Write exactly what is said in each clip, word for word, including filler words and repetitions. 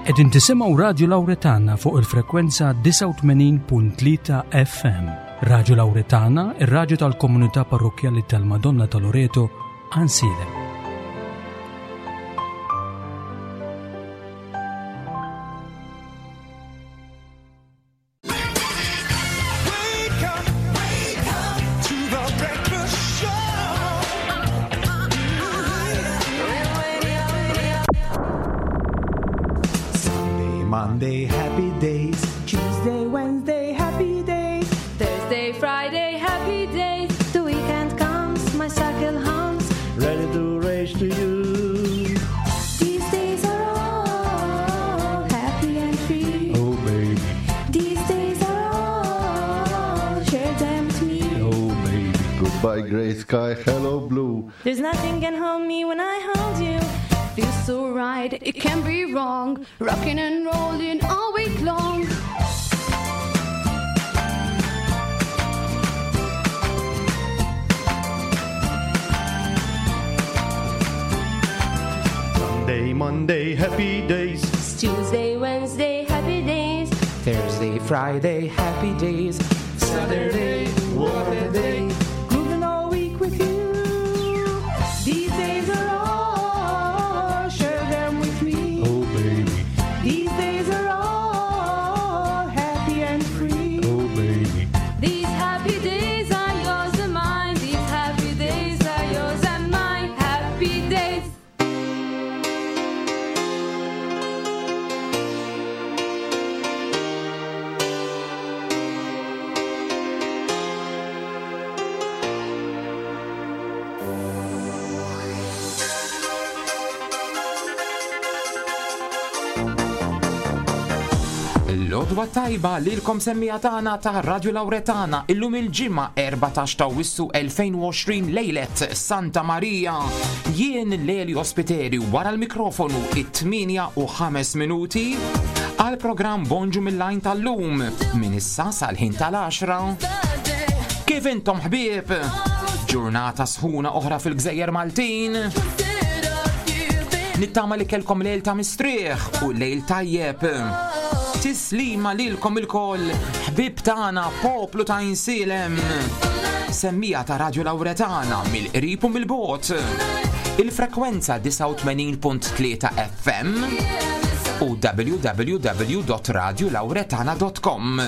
Qegħdin tisimgħu Radju Lawretana fuq il-frekwenza disgħa u tmenin punt tlieta F M. Radju Lawretana, ir-radju tal-komunità parrokkjali tal-Madonna ta' Loreto, Għajnsielem. Monday, happy days. Tuesday, Wednesday, happy days. Thursday, Friday, happy days. The weekend comes, my cycle hums. Ready to race to you. These days are all happy and free. Oh, baby. These days are all, share them with me. Oh, baby. Goodbye, gray sky, hello, blue. There's nothing can hold me when I hold you. Feels so right, it can't be wrong. Rocking and rolling all week long. Sunday, Monday, happy days. It's Tuesday, Wednesday, happy days. Thursday, Friday, happy days. Saturday, what a day. Grooving all week with you. These days are all, share them with me. Oh, baby. These days are all happy and free. Oh, baby. These happy days are yours and mine. These happy days are yours and mine. Happy days. L-odwa tajba lilkom semmija tagħna ta' Radio Lawretana illum il-ġimgħa erbatax ta' Awwissu elfejn u għoxrin lejlet Santa Marija. Jien Lelio Spiteri wara l-mikrofonu it-tmienja u ħames minuti għal programm Bonġu mill-Għajn tal-lum minn issa sal-ħin tal-għaxra. Kif intom ħbieb? Ġurnata sħuna oħra fil-Gżejjer Maltin. Nittama li kelkom lejl ta' mistrieħ u lejl tajjeb. Tislima lilkom ilkoll, ħbib tagħna, poplu ta' Għajnsielem. Semmija ta' Radio Lawretana mill-qrib u mill-bogħod. Il-frekwenza disgħa u tmenin punt tlieta F M u w w w dot radio lawretana dot com.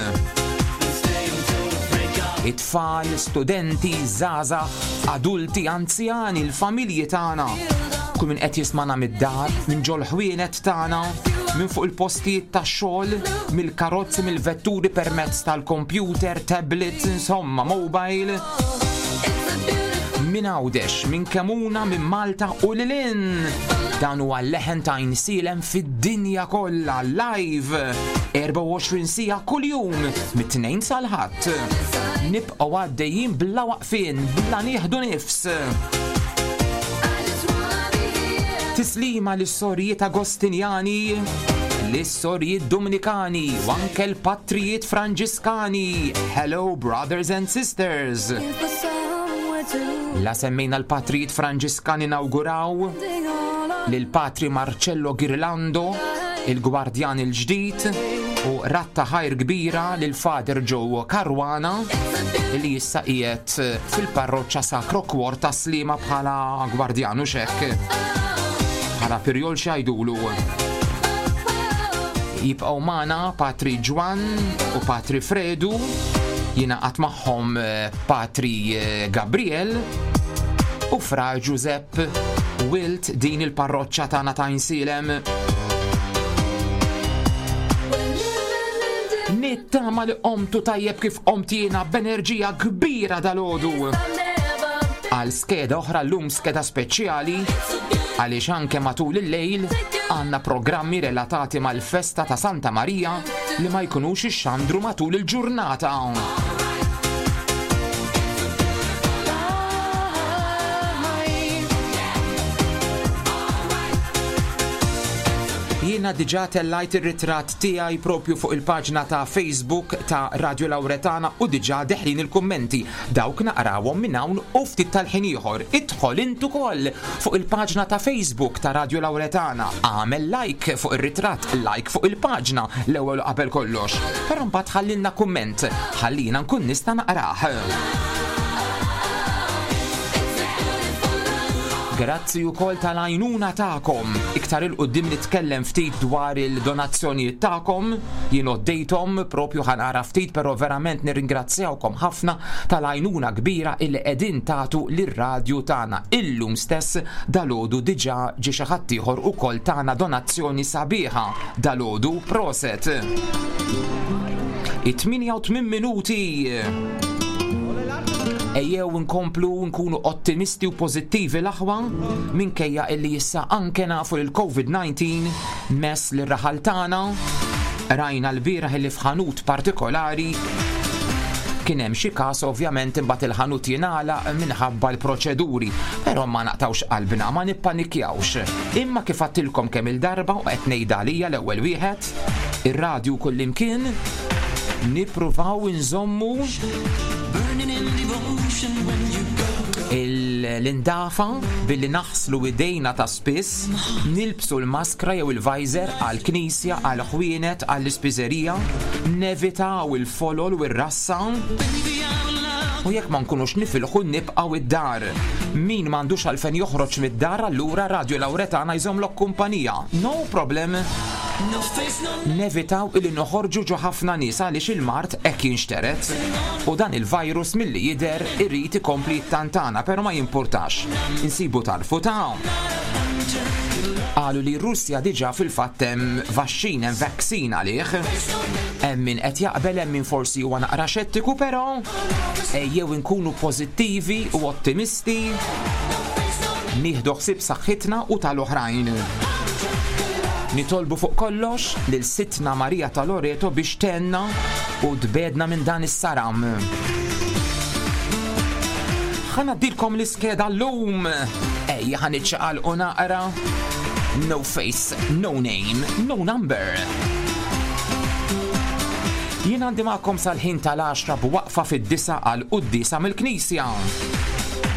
It-tfal, studenti, żgħażagħ, adulti, anzjani, l-familji tagħna. Kull min qed jismana mid-dar, minn ġol-ħwienet tagħna, minn fuq il-postijiet tax-xogħol, mill-karozzi, mill-vetturi permezz tal-computer, tablet, insomma, mobile. Minn Għawdex, minn Kemuna, minn Malta u lil hinn. Dan huwa l-leħen ta' Għajnsielem fid-dinja kollha live erbgħa u għoxrin siegħa kuljum mit-tnejn sal-Ħadd. Nibqgħu għaddejjin bla waqfien, bla nieħdu nifs. Tislima lis-sorijiet Agostinjani, lis-sorijiet Dominikani u anke l-patrijiet Franġiskani. Hello brothers and sisters. La semmejna l-patrijiet Franġiskani nawguraw lil Patri Marcello Girlando, il-gwardjan il-ġdid, u ratta ħajr kbira lil Father Joe Caruana li issa qiegħed fil-parroċċa Sacro Cuor ta' Sliema bħala gwardjan u xekk. Bħala pirjol xajdulu. Jibqgħu magħna Patri Ġwan u Patri Fredu, jingħaqad magħhom, eh, Patri, eh, Gabriel u Fra Giuseppe Wilt din il-parroċċa tagħna ta' Għajnsielem. Nittama li qomtu tajjeb kif qomt jiena b'enerġija kbira dal-għodu. Għal skeda oħra llum, skeda speċjali, għaliex anke matul il-lejl għandna programmi relatati mal-festa ta' Santa Marija li ma jkunux ixxandru matul il-ġurnata. Jiena Jiena diġà tellajt ir-ritratt tiegħi propju fuq il-paġna ta' Facebook ta' Radio Lauretana u diġà deħlin il-kummenti. Dawk naqrawhom minn hawn u ftit tal-ħin ieħor. Idħol int ukoll fuq il-paġna ta' Facebook ta' Radio Lauretana. Agħmel like fuq ir-ritratt, like fuq il-paġna l-ewwel qabel kollox. Però mbagħad ħallilna kumment, ħallina nkun nista' naqrah. Grazzi wkoll tal-għajnuna tagħkom. Iktar il-qudiem nitkellem ftit dwar il-donazzjonijiet tagħkom, jien għoddejthom propju ħanara ftit, però verament nirringrazzjawkom ħafna tal-għajnuna kbira illi qegħdin tagħtu lir-radju tagħna. Illum stess dalgħodu diġà ġie xi ħadd ieħor ukoll tagħna donazzjoni sabiħa dalgħodu, proset. It-tmienja u tmien minuti. Ejjew nkomplu nkunu ottimisti u pożittivi l-aħwa, minkejja illi issa anke nafu li l-COVID nineteen mess li raħal tagħna. Rajna l-bieraħ illi f'ħanut partikolari kien hemm xi każ, ovvjament imbagħad il-ħanut jingħalaq minħabba l-proċeduri, però ma naqtawx qalbna, ma nippanikjawx. Imma kif għadtilkom kemm il-darba u qed ngħidha għalija l-ewwel wieħed, ir-radju kullimkien nippruvaw inżommu l-indafa billi naħslu idejna ta' spiss, nilbsu l-maskra jew il-visor għall-knisja, għall-ħwienet, għall-ispiżerija, nevitaw il-folol u r-rassa, u jekk ma nkunux nifilħu nibqgħu id-dar. Min m'għandux għalfejn joħroġ mid-dar, allura Radio Lauretana jżommlok kumpanija. No problem. Nevitaw illi noħorġu ġo ħafna nies għaliex il-mard hekk jinxteret. U dan il-virus milli jidher irid ikompli jittantana, però ma jimpurtax. Insibu tarfu ta' qalu li r-Russja diġà fil-fatt hemm vaxxin, hemm vaccine għalih. Hemm min qed jaqbel, hemm min forsi huwa naqra xettiku, però ejjew inkunu pożittivi u ottimisti, nieħdu ħsieb saħħitna u tal-oħrajn. Nitolbu fuq kollox lil Sidtna Marija ta' Loreto biex tenna u tbedna minn dan is-saram. Ħa ngħaddilkom l-iskeda llum. Ejja ħa niċċaqalqu naqra. No face, no name, no number. Jien għandi magħkom sal-ħin tal-għaxra b'waqfa fid-disa għal quddiesa mill-Knisja.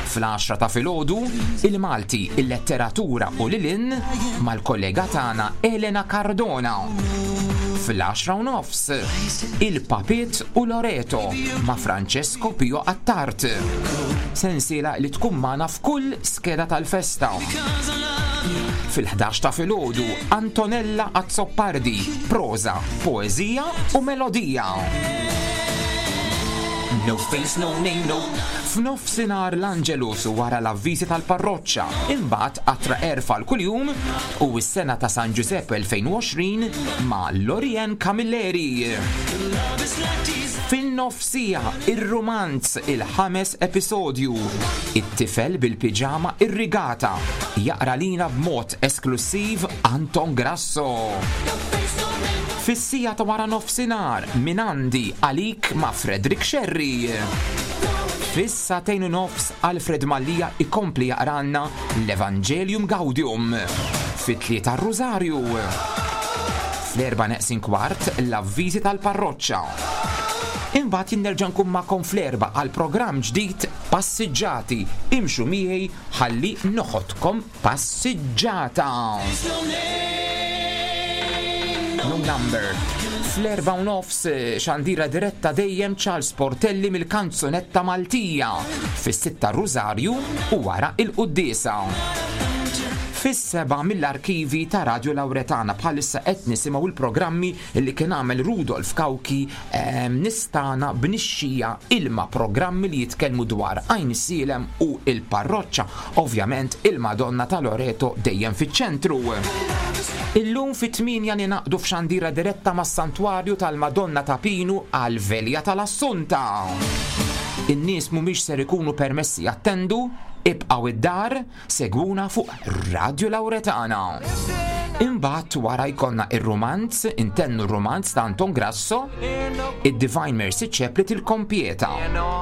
Fl-għaxra ta' filgħodu, il-Malti, il-letteratura u lilin mal-kollega tagħna Elena Cardona. Fl-għaxra u nofs, il-Papit u Loreto ma' Francesco Pio Attard. Sensiela li tkun magħna f'kull skeda tal-festa. Fil-ħdax ta' filgħodu, Antonella Azzopardi, proza, poeżija u melodija. No face, no name, no. F'nofsinhar l-Angelus wara l-avviżi tal-parroċċa, imbagħad qatra erfa l kuljum u s-sena ta' San Giuseppe elfejn u għoxrin ma' Lorien Camilleri. Fin-nofsija ir-romanz il-ħames episodju, it-tifel bil-piġama irrigata, jaqra lina b'mod esklusiv Anton Grasso. Fis-sija ta' wara nofsinhar minn għandi għalik ma' Frederick Sherry. Fis-sagħtejn u nofs Alfred Mallia ikompli jaqranna l-Evangelium Gaudium. Fit-tlieta r-Rosario. Fl-erba' neqsin kwart l-avviżi tal-parroċċa. Imbagħad jien nerġa' nkun magħkom fl-erba' għal programm ġdid Passiġġati. Imxu miegħi ħalli noħodkom passiġġata. No number. Fl-erba' u nofs xandira diretta dejjem Charles Portelli mill-kanzunetta Maltija. Fis-sitta Rosario u wara il-quddiesa. Fis-seba' mill-arkivi ta' Radio Lauretana bħalissa qed nisimgħu l-programmi li kien għamel Rudolf Cauchi, ehm, nistana b'nixxija ilma, programmi li jitkellmu dwar Għajnsielem u il-parroċċa, ovvjament il-Madonna ta' Loreto dejjem fiċ-ċentru. Illum fit-tmienja ninaqdu f'xandira diretta mas-Santwarju tal-Madonna ta' Pinu għal Velja tal-Assunta. In-nies mhumiex ser ikunu permessi jattendu, ibqgħu id-dar, segwuna fuq Radio Lauretana. Imbagħad wara jkollna ir-romanz, intennu r-romanz ta' Anton Grasso, id-Divine Mercy Chaplet il-Kompieta.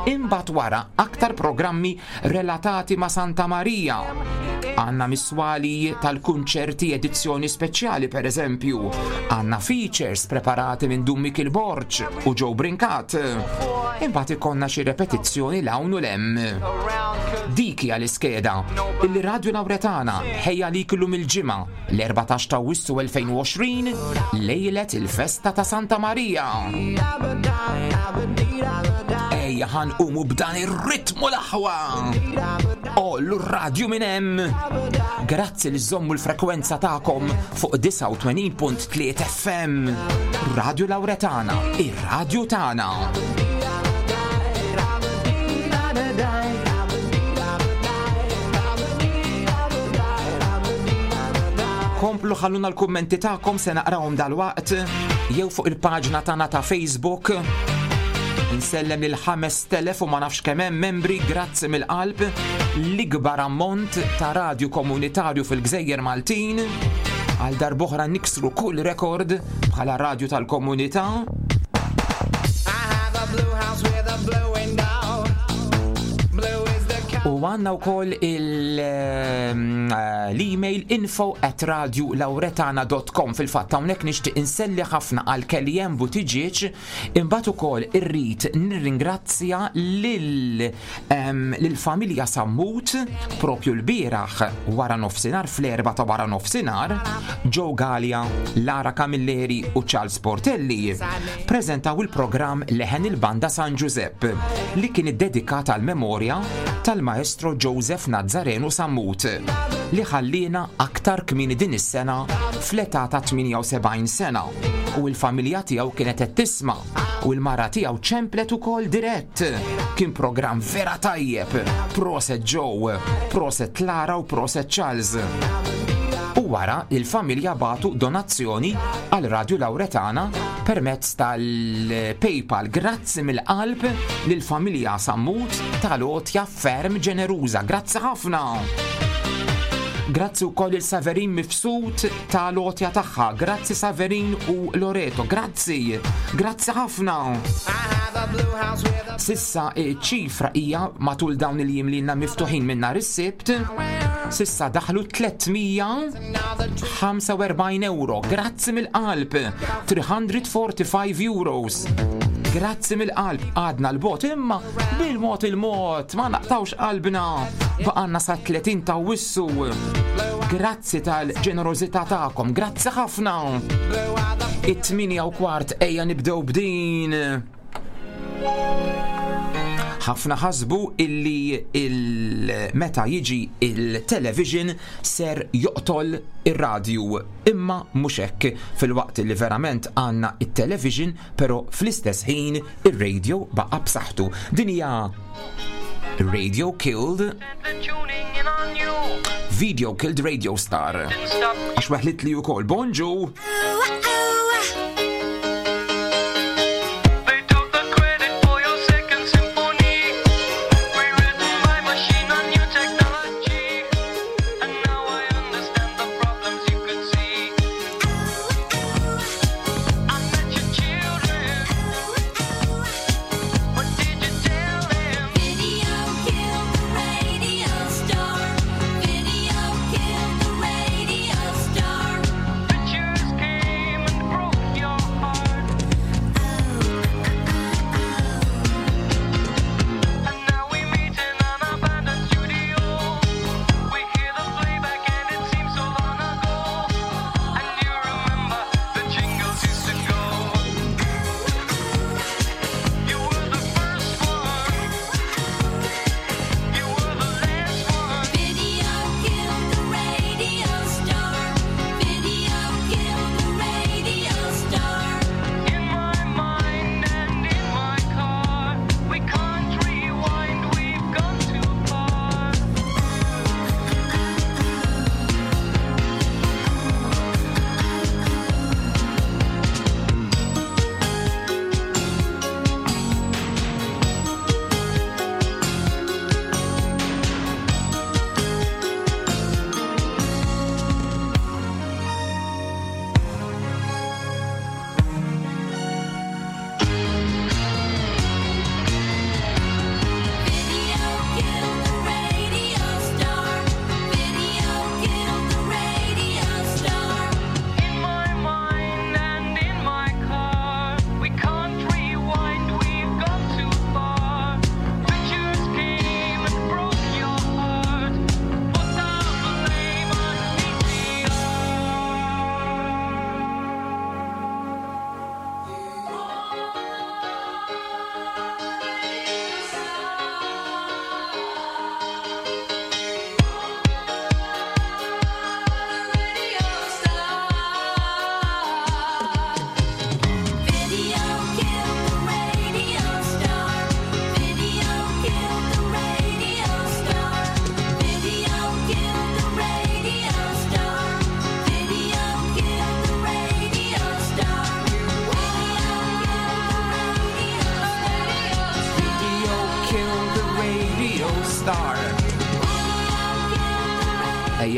Imbagħad wara aktar programmi relatati ma' Santa Marija. Għanna miswali tal-kunċerti edizzjoni speċjali per eżempju. Għanna features preparati minn Dun Mikiel Borg u Joe Brincat. Imbagħad ikollna xi repetizzjoni l-hawn u l-hemm. Dik hija l-iskeda illi Radio Lauretana ħejja li illum il-ġimgħa l-erbatax ta' Awwissu elfejn u għoxrin, lejlet il-festa ta' Santa Marija. Ejja ħanqumu b'dan ir-ritmu l-aħwa. Ollu r-radju minn hemm. Grazzi li żommu l-frekwenza tagħkom fuq disgħa u tmenin punt tliet F M. Radio Lauretana, ir-radju tagħna. Komplu ħalluna l-kummenti tagħkom, se naqrawhom dalwaqt jew fuq il-paġna tagħna ta' Facebook. Insellem lil ħames telef u ma nafx kemm hemm membri, grazzi mill-qalb, l-ikbar ammont ta' radju komunitarju fil-Gżejjer Maltin. Għal darb'oħra niksru kull rekord bħala radju tal-komunità. I have a blue house with a blue window. Blue is the color. U għanna u koll il, ehm, l-email info at radio lauretana dot com. Fil-fatt hawnhekk nixtieq inselli ħafna għal Kellyanne Buttigieg, imbagħad ukoll irrid nirringrazzja lil, ehm, lill-familja Sammut propju l-bieraħ wara nofsinhar, fl-erba ta' wara nofsinhar, Joe Galea, Lara Camilleri u Charles Portelli preżentaw il-programm Leħen il-Banda San Giuseppe li kien iddedikat għal memorja tal-maestro Joseph Nazzareno Sammut li ħallina aktar kmieni din is-sena fl-età ta' tmienja u sebgħin sena, u l-familja tiegħu kienet qed tisma' u l-mara tiegħu ċemplet ukoll dirett. Kien programm vera tajjeb. Proset Joe, proset Lara u proset Charles. U wara il-familja batu donazzjoni għal Radio Lauretana permezz tal-PayPal. Grazzi mill-qalb lill-familja Sammut tal-għotja ferm ġeneruża. Grazzi ħafna. Grazzi wkoll il Saverin Mifsud tal-għotja tagħha. Grazzi Saverin u Loreto. Grazzi. Grazzi ħafna. Sissa ċifra hija matul dawn il-jiem li ilna miftuħin minn nhar is-Sibt, sissa daħlu tliet mija ħamsa u erbgħin euro. Grazzi mill-qalb. three hundred forty-five euros. Grazzi mill-qalb. Għadna l-bot imma bil-mod il-mod ma naqtawx qalbna. Baqanna sa tletin ta' Awwissu. Grazzi tal-ġenerożità tagħkom. Grazzi ħafna. It-tmienja u kwart ejja nibdew b'din. Ħafna ħasbu illi il-, meta jiġi il-television ser joqtol ir-radju, imma mhux hekk. Fil-waqt li verament għandna it-television, però fl-istess ħin ir-radio baqa' b'saħħtu. Din hija Radio Killed Video Killed Radio Star. Għax weħlit li wkoll. Bonġu! Video killed the radio star. Video killed the radio star. Pictures came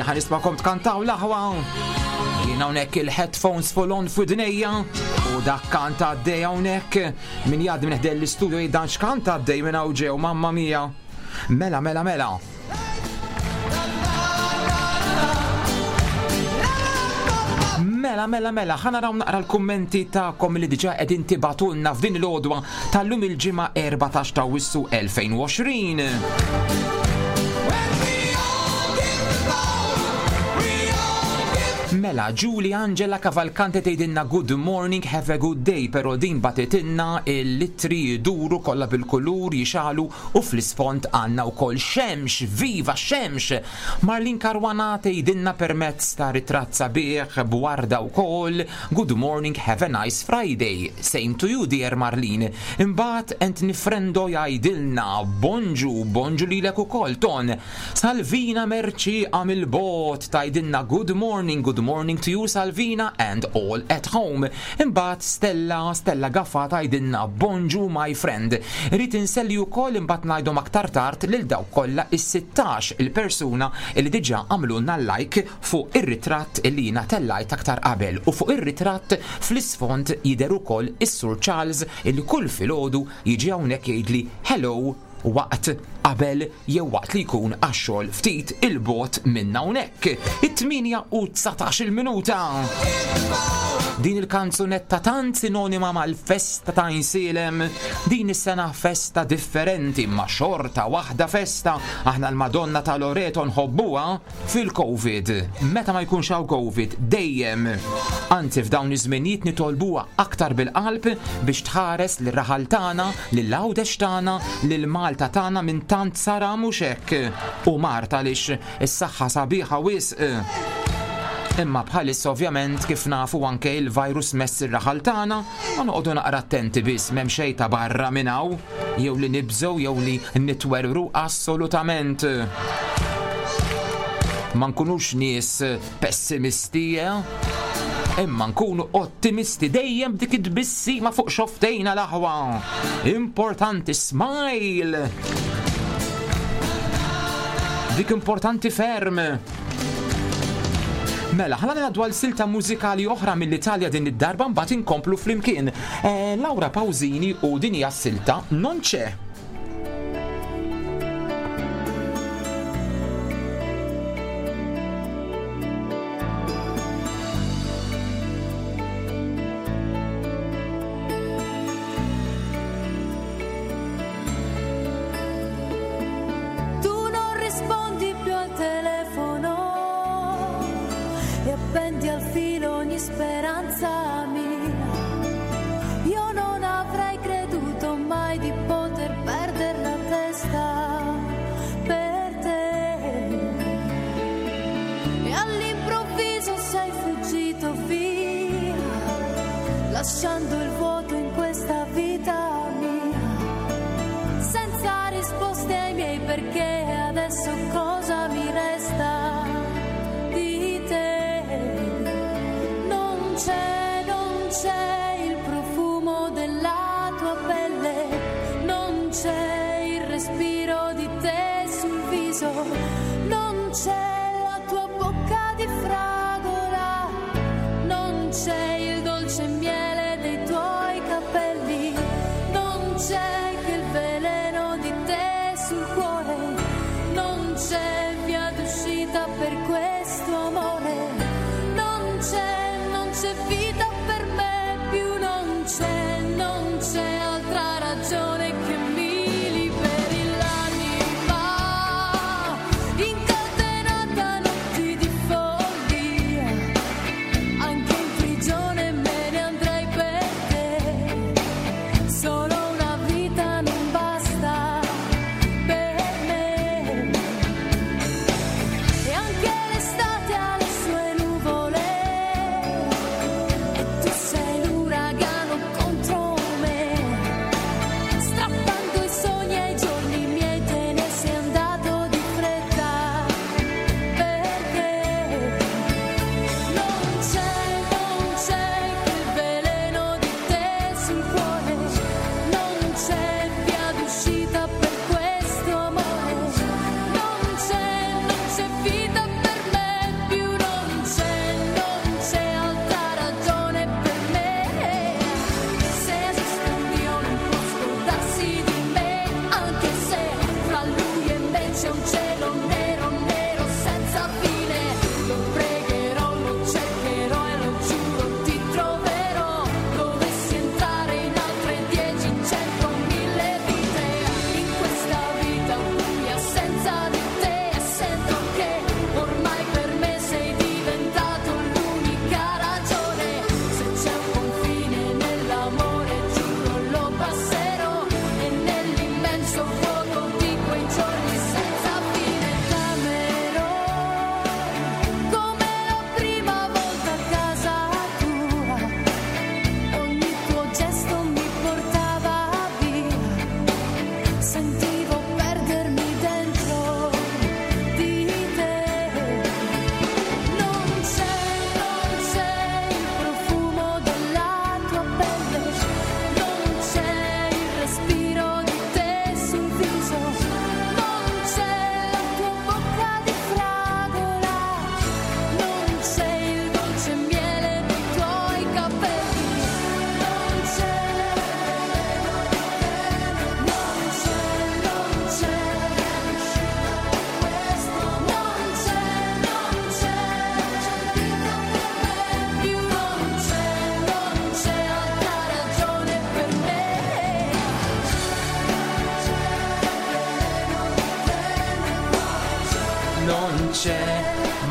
Jien ħa nismagħkom tkantaw l-aħwa. Jien hawnhekk il-headphones full on f'widnejja u dak kanta għaddej hawnhekk min jgħaddi minn ħdejn l-istudio jgħid x'kanta għaddej minn hawn ġew, mamma mia. Mela, mela, mela. Mela, mela, mela, ħa naraw naqra l-kummenti tagħkom li diġà qegħdin tibagħtulna f'din l-għodwa tal-lum il-ġimgħa erbatax ta' Awwissu elfejn u għoxrin. Mela, Julie Angela Cavalcante tgħidilna good morning, have a good day, pero din batitinna il-litri jduru kollha bil-kulur jixalu u fl-isfond għandna wkoll xemx, viva xemx! Marlin Caruana tgħidilna permezz ta' ritratt sabiħ b'warda wkoll, good morning, have a nice Friday. Same to you, dear Marlin. Imbagħad Anthony Frendo jgħidilna bonġu, bonġu lilek ukoll, Ton. Salvina Merċi għamil bot tgħidilna good morning, good morning to you, Salvina, and all at home. Imbagħad Stella, Stella Gaffa tgħidilna bonġu my friend. Rrid inselli wkoll imbagħad ngħidhom aktar tard lil dawk kollha is-sittax il-persuna li diġà għamlulna like fuq ir-ritratt li jiena tellajt aktar qabel, u fuq ir-ritratt fl-isfond jidher ukoll is-Sur Charles illi kull filgħodu jiġi hawnhekk jgħidli hello waqt qabel jew waqt li jkun għax-xogħol ftit il-bot minn hawnhekk. It-tmienja u dsatax il-minuta. Din il-kanzunetta tant sinonima mal-festa ta' Għajnsielem, din is-sena festa differenti ma xorta waħda festa. Aħna l-Madonna ta' Loreto nħobbuha fil-Covid. Meta ma jkunx hawn Covid dejjem. Anzi f'dawn iż-żminijiet nitolbuha aktar bil-qalb biex tħares lir-raħal tagħna, lil-Għawdex tagħna, lil Malta tagħna minn tant sara mhux hekk. U Marta għaliex is-saħħa sabiħa wisq. Imma bħalissa ovvjament kif nafu anke il-virus mess ir-raħal tagħna, ma noqogħdu naqra attenti biss, m'hemm xejn ta' barra minn hawn, jew li nibżgħu jew li nitwerwru assolutament. Ma nkunux nies pessimisti, eh? Imma nkunu ottimisti dejjem b'dik it-tbissima fuq xoftejna l-aħwa. Importanti smile. Dik importanti ferm. Mela, ħalla ngħaddu għal silta mużikali oħra mill-Italja din id-darba mbagħad inkomplu flimkien. Eh, Laura Pausini u din hija s-silta Non c'è. Tu non rispondi più al telefono e appendi al filo ogni speranza mia. Io non avrei creduto mai di poter perdere la testa per te. E all'improvviso sei fuggito via, lasciando il vuoto in questa vita mia, senza risposte ai miei perché. Adesso cosa mi resta di te? Non c'è, non c'è il profumo della tua pelle, non c'è il respiro di te sul viso, non c'è la tua bocca di fragola, non c'è il dolce miele dei tuoi capelli,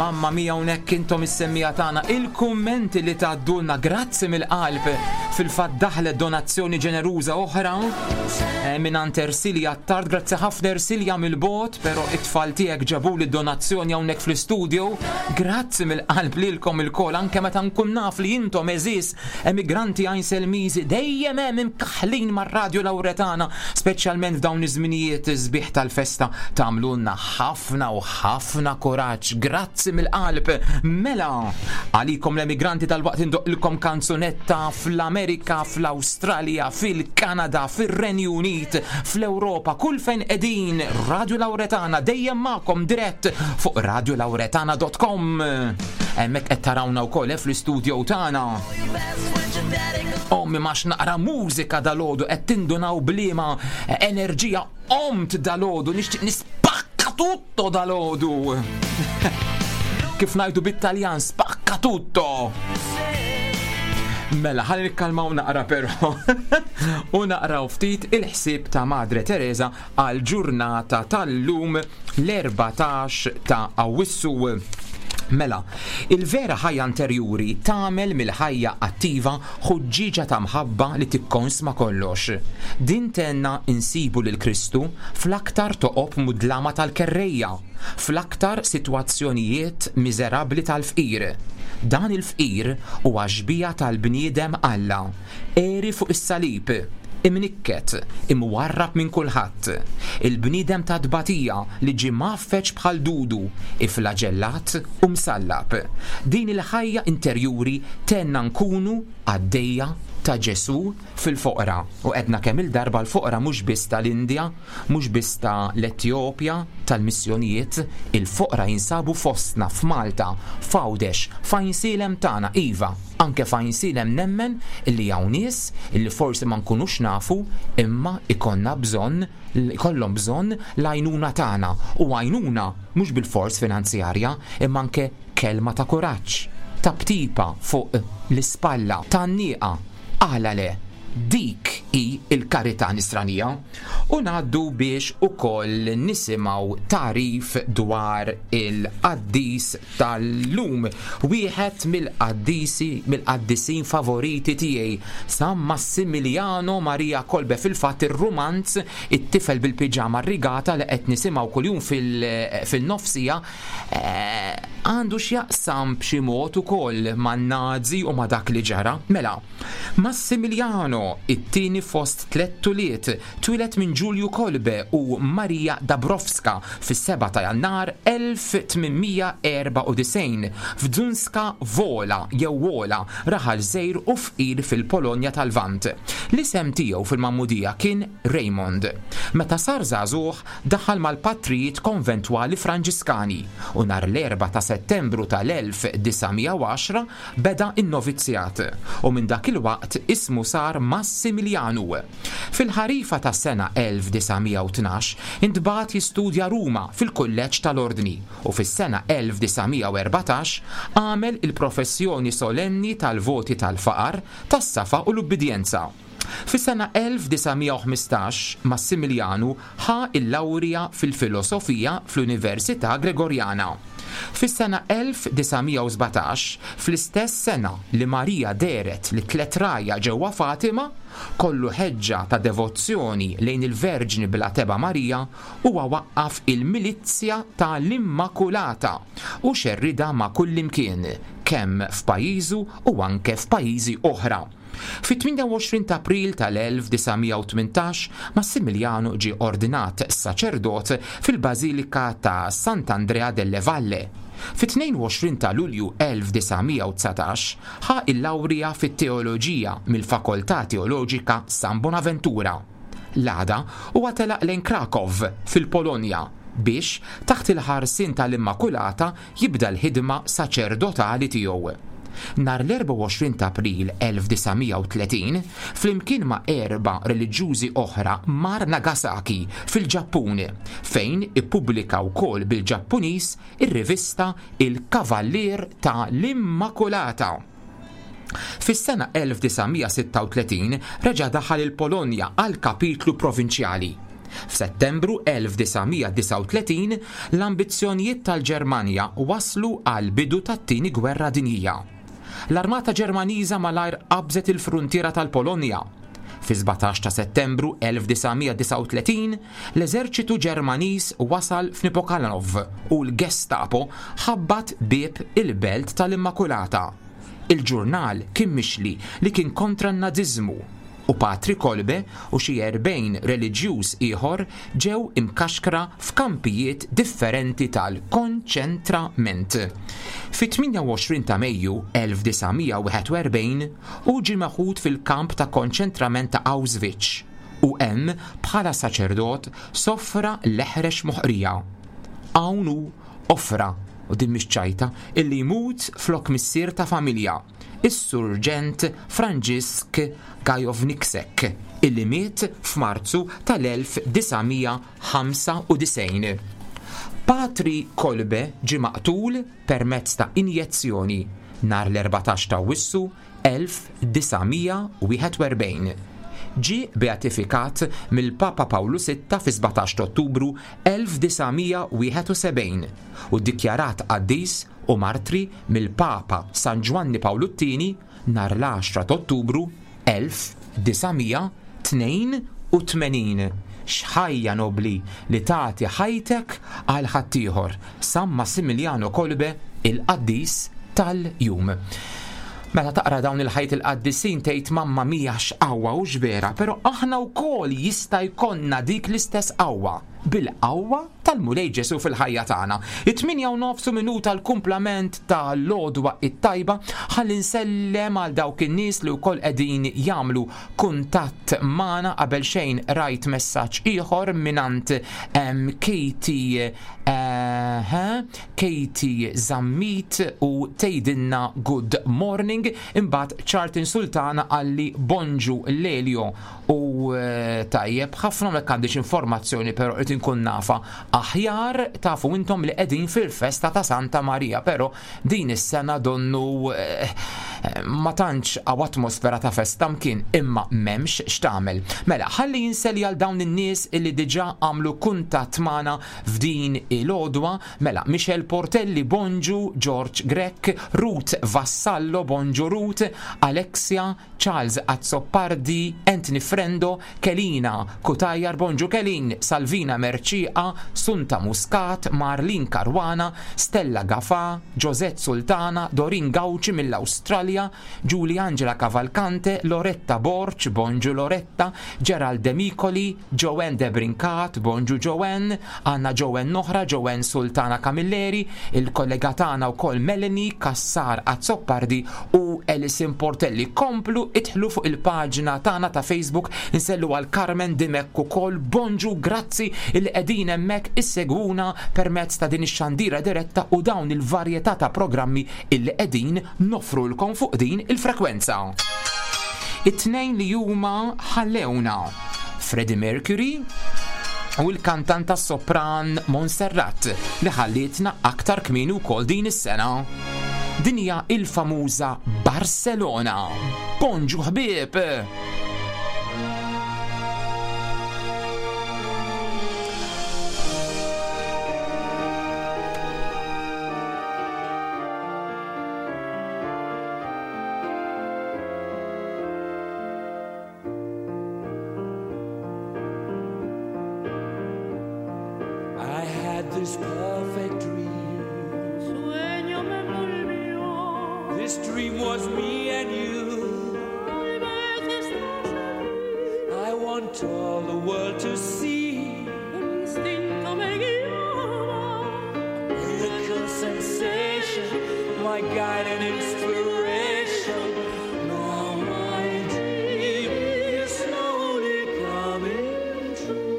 Mamma mia, hawnhekk intom is-semmiegħa tagħna, il-kummenti li tgħaddulna, grazzi mill-qalb. Fil-fatt daħlet donazzjoni ġeneruża oħra eh, minn Ersilja Attard, grazzi ħafna Ersilja mill-bogħod, però it-tfal tiegħek ġabuli donazzjoni hawnhekk fl-istudio. Grazzi mill-qalb lilkom ilkoll, anke meta nkun naf li intom, għeżież emigranti Għajnselmiżi, dejjem hemm imkaħlin mar-Radju Lauretana, speċjalment f'dawn iż-żminijiet sbieħ tal-festa, tagħmlulna ħafna u ħafna kuraġġ. Grazzi mill-qalb. Mela, għalikom l-emigranti tal-waqt indoqqilkom kanzunetta fl-Amerika, fl-Awstralja, fil-Kanada, fil-Renju Unit, fl-Europa, kull fejn qegħdin, Radio Lauretana dejjem magħkom dirett fuq radiolauretana punt com. Hemmhekk qed tarawna wkoll eh, fl-istudio tagħna. Ommi max naqra mużika dalgħodu, qed tindunaw b'liema enerġija qomt dalgħodu, nixtieq nispakka tutto dalgħodu. Kif ngħidu bit-Taljan, spacca tutto. Mela, ħalli nikkalmaw naqra però u naqraw ftit il-ħsieb ta' Madre Teresa għal ġurnata tal-lum, l-erbatax ta' Awwissu. Mela, il-vera ħajja interjuri tagħmel mill-ħajja attiva ħuġġiġa ta' mħabba li tikkonsma kollox. Din tgħinna insibu lil Kristu fl-aktar toqob mudlama tal-kerrejja, fl-aktar sitwazzjonijiet miżerabbli tal-fqir. Dan il-fqir huwa xbieha tal-bniedem Alla, għeri fuq is-salib, imnikket, imwarrab minn kulħadd. Il-bniedem ta' tbatija li ġie mgħaffeġ bħal dudu, iflaġellat u msallab. Din il-ħajja interjuri tgħinna nkunu qaddejja ta' Ġesù fil-foqra. U għedna kemm il-darba, l-foqra mhux biss tal-Indja, mhux biss ta' l-Etjopja, tal-missjonijiet, il-foqra jinsabu fostna f'Malta, f'Għawdex, f'Għajnsielem tagħna, iva, anke f'Għajnsielem nemmen illi hawn nies illi forsi ma nkunux nafu imma ikollna bżonn, ikollhom bżonn l-għajnuna tagħna, u għajnuna mhux bil-fors finanzjarja imma anke kelma ta' kuraġġ, taptipa fuq l-ispalla, tgħanniqa, għala le, dik hi il-karità nisranija. U ngħaddu biex ukoll nisimgħu tagħrif dwar il-qaddis tal-lum. Wieħed mill-qaddisi, mill-qaddisin favoriti tiegħi, San Massimiliano Maria Kolbe. Fil-fatt ir-rumanz "It-tifel bil-piġama rigata" li qed nisimgħu kuljum fil-nofsija eh, għandu x'jaqsam b'xi mod ukoll man-Nazi u ma' dak li ġara. Mela, Massimiliano, it-tieni fost tliet ulied, twieled minn Giulio Kolbe u Maria Dabrowska fis-sebgħa ta' Jannar elf tmien mija erbgħa u disgħin f'Zdunska Wola jew Wola, raħal żgħir u fqir fil-Polonja tal-Lvant. L-isem tiegħu fil-Magħmudija kien Raymond. Meta sar żagħżugħ daħal mal-patrijiet konventwali Franġiskani u nhar l-erbgħa ta' Settembru tal-elf disa' mija u għaxra beda in-novizzjat u minn dak il-waqt ismu sar Massimilianu. Fil-ħarifa ta' sena elf disa' mija u tnax intbagħat jistudja Ruma fil-kulleġġ tal-Ordni u fis-sena elf disa' mija u erbatax għamel il-professjoni solenni tal-voti tal-faqar, tas-safa u l-ubbidjenza. Fis-sena elf disa' mija u ħmistax Massimilianu ħa il-lawrja fil-filosofija fl-Università Gregoriana. Fis-sena elf disa' mija u sbatax, fl-istess sena li Marija dehret lit-tliet rgħajja ġewwa Fatima, kollu ħeġġa ta' devozzjoni lejn il-Verġni bla tebgħa Marija, huwa waqqaf il-Milizja tal-Immakulata u xerridha ma' kullimkien, kemm f'pajjiżu u anke f'pajjiżi oħra. Fit-tmienja u għoxrin ta' April tal-elf disa' mija u tmintax Massimiliano ġie ordinat saċerdot fil-Bażilika ta' Sant'Andrea delle Valle. Fit-tnejn u għoxrin ta' Lulju elf disa' mija u dsatax ħa il-lawrija fit-teoloġija mill-Fakoltà Teoloġika San Bonaventura. L-għada huwa telaq lejn Krakow fil-Polonja biex taħt il-ħarsin tal-Immakulata jibda l-ħidma saċerdotali tiegħu. Nhar l-erbgħa u għoxrin ta' April elf disa' mija u tletin, flimkien ma' erba' reliġjużi oħra, mar Nagasaki fil-Ġappun, fejn ippubblika wkoll bil-Ġappuniż ir-rivista Il-Kavallier ta' l-Immakulata. Fis-sena elf disa' mija u sitta u tletin reġa' daħal il-Polonja għal kapitlu provinċjali. F'Settembru elf disa' mija disgħa u tletin, l-ambizzjonijiet tal-Ġermanja waslu għal bidu tat-tieni gwerra dinjija. L-Armata Ġermaniża malajr qabżet il-fruntiera tal-Polonja. Fi sbatax ta' Settembru elf disa' mija disgħa u tletin, l-eżerċitu Ġermaniż wasal f'Nipokalanov u l-Gestapo ħabbat bieb il-belt tal-Immakulata. Il-ġurnal kien mixli li kien kontra n-naziżmu u Patri Kolbe u xi erbgħin reliġjuż ieħor ġew imkaxkra f'kampijiet differenti tal-konċentrament. Fit-tmienja u għoxrin ta' Mejju elf disa' mija wieħed u erbgħin hu ġie meħud fil-kamp ta' konċentrament ta' Auschwitz u hemm bħala saċerdot soffra l-eħrex moħqrija. Hawn hu offra, u din mhix ċajta, illi jmut flok missier ta' familja, is-Surġent Franġisk Gajowniczek, illi miet f'Marzu tal-elf disa' mija ħamsa u disgħin. Patri Kolbe ġie maqtul permezz ta' injezzjoni nhar l-erbatax ta' Awwissu elf disa' mija wieħed u erbgħin. Ġie beatifikat mill-Papa Pawlu sitta fi sbatax ta' Ottubru elf disa' mija wieħed u sebgħin u ddikjarat qaddis u martri mill-Papa San Ġwanni Pawlu t-tieni nhar l-għaxra ta' Ottubru elf disa' mija tnejn u tmenin. X'ħajja nobli li tagħti ħajtek għal ħaddieħor. San Massimiliano Kolbe, il-qaddis tal-jum. Meta taqra dawn il-ħajt il-qaddisin tgħid mamma mia x'qawwa u x'vera, però aħna wkoll jista' jkollna dik l-istess qawwa bil-qawwa tal-Mulej Ġesu fil-ħajja tagħna. It-tmienja u nofsu minuta l-kumplament tal-għodwa it-tajba ħalli nsellem għal dawk in-nies li wkoll qegħdin jagħmlu kuntatt magħna. Qabel xejn rajt messaġġ ieħor mingħand, em, Katie, eh, Katie Zammit u tgħidilna good morning. Imbagħad Charlton Sultana qalli bonġu Lelio u, eh, tajjeb ħafna ma għandix informazzjoni però qed inkun nafa aħjar. Tafu intom li qegħdin fil-festa ta' Santa Maria, però din is-sena donnu, eh, ma tantx hawn atmosfera ta' festa mkien, imma m'hemmx x'tagħmel. Mela, ħalli jinselli għal dawn in-nies illi diġà għamlu kuntatt magħna f'din il-għodwa. Mela, Michel Portelli, bonġu, George Grech, Ruth Vassallo, bonġu Ruth, Alexia, Charles Azzopardi, Anthony Frendo, Kelina Kutajar, bonġu Kelin, Salvina Merċieqa, Sunta Muscat, Marlin Caruana, Stella Gafa, Josette Sultana, Dorin Gauci mill-Awstralja, Giulia Angela Cavalcante, Loretta Borch, bonġu Loretta, Gerald De Micoli, Joanne De Brincat, bonġu Joanne, Anna Joanne Noħra, Joanne Sultana Camilleri, il-kollega tagħna wkoll Melanie Cassar Azzopardi u Alison Portelli. Komplu idħlu fuq il-paġna tagħna ta' Facebook, insellu għal Carmen Dimech ukoll, bonġu, grazzi il qegħdin hemmhekk issegwuna permezz ta' din ix-xandira diretta u dawn il-varjetà ta' programmi illi qegħdin nofrulkom fuq din il-frekwenza. It-tnejn li huma ħallewna Freddie Mercury u l-kantanta sopran Montserrat li ħallietna aktar kmieni wkoll din is-sena. Din hija il-famuża Barcelona. Bonġu ħbieb! I had this perfect dream. Sueño me volvió. This dream was me and you. Tal vez estás aquí. I want all the world to see. Un instinto me guiaba. Miracle sensation, my guide and inspiration. Now my dream is slowly coming true.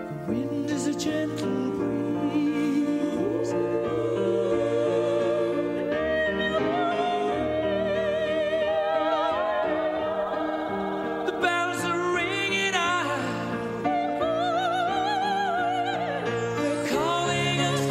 The wind is a gentle breeze. The bells are ringing out. They're calling us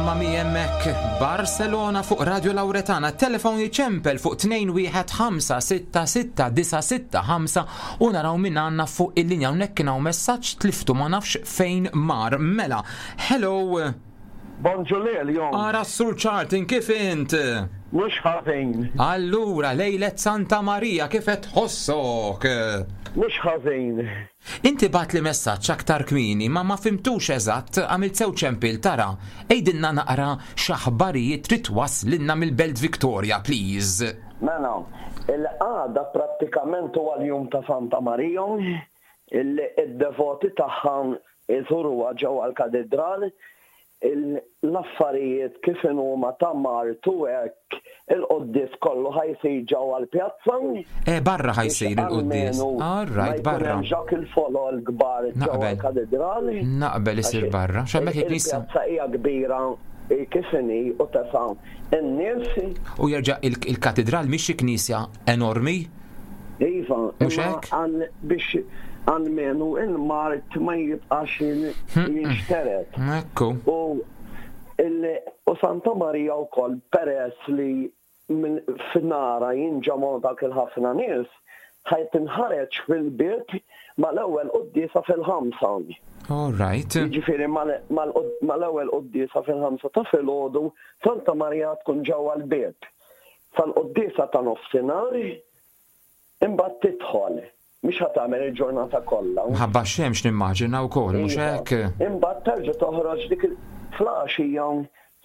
Mamma mia hemmhekk, Barcelona fuq Radio Lauretana, telefon jiċempel fuq tnejn wieħed ħamsa sitta sitta disa' sitta ħamsa u naraw min għandna fuq il-linja. Hawnhekk kien hawn messaġġ tliftu ma nafx fejn mar. Mela, hello. Bonġu Lelio. Ara s-Sur Charlton, kif int? Mhux ħażin. Allura, lejlet Santa Maria, kif qed tħossok? Mhux ħażin. Inti bat li messaġġ aktar kmieni, ma ma fimtux eżatt, għamilt sew ċempil tara. Ejdinna naqra x'aħbarijiet trid twasslilna mill-Belt Victoria, please. Mela, il-għada prattikament huwa l-jum ta' Santa Maria, il-devoti tagħha iżuruha ġewwa l-katedral, l-affarijiet kif huma ta' Martu hekk, il-quddies kollu ħajsir ġewwa l-pjazza. Eh, barra ħajsir il-quddies. All right, barra. Ma jkun hemmx il-folol kbar ġewwa Naqbel. l-katedral. Naqbel isir barra. X'hemmhekk il-knisja. Il-pjazza hija kbira kif inhi u tesa' in-nies. U jerġa' il-katedral mhix xi knisja enormi? Iva, Mhux imma hekk? għal biex għalmenu il-mart ma jibqax jinxteret. Ekku. U il- u Santa Maria wkoll peress li minn f'nara jinġamgħu dak il-ħafna nies, ħaj tinħareġ fil-bieb mal-ewwel quddiesa fil-ħamsa. All right. Jiġifieri mal- mal- mal-ewwel quddiesa fil-ħamsa ta' filgħodu, Santa Maria tkun ġewwa l-bieb. Sal-quddiesa ta' nofsinhar imbagħad tidħol. Mhix ħa tagħmel il-ġurnata kollha. Mħabba x-xemx nimmaġina wkoll, mhux Iva. hekk? Imbagħad terġa' toħroġ dik il-flaxija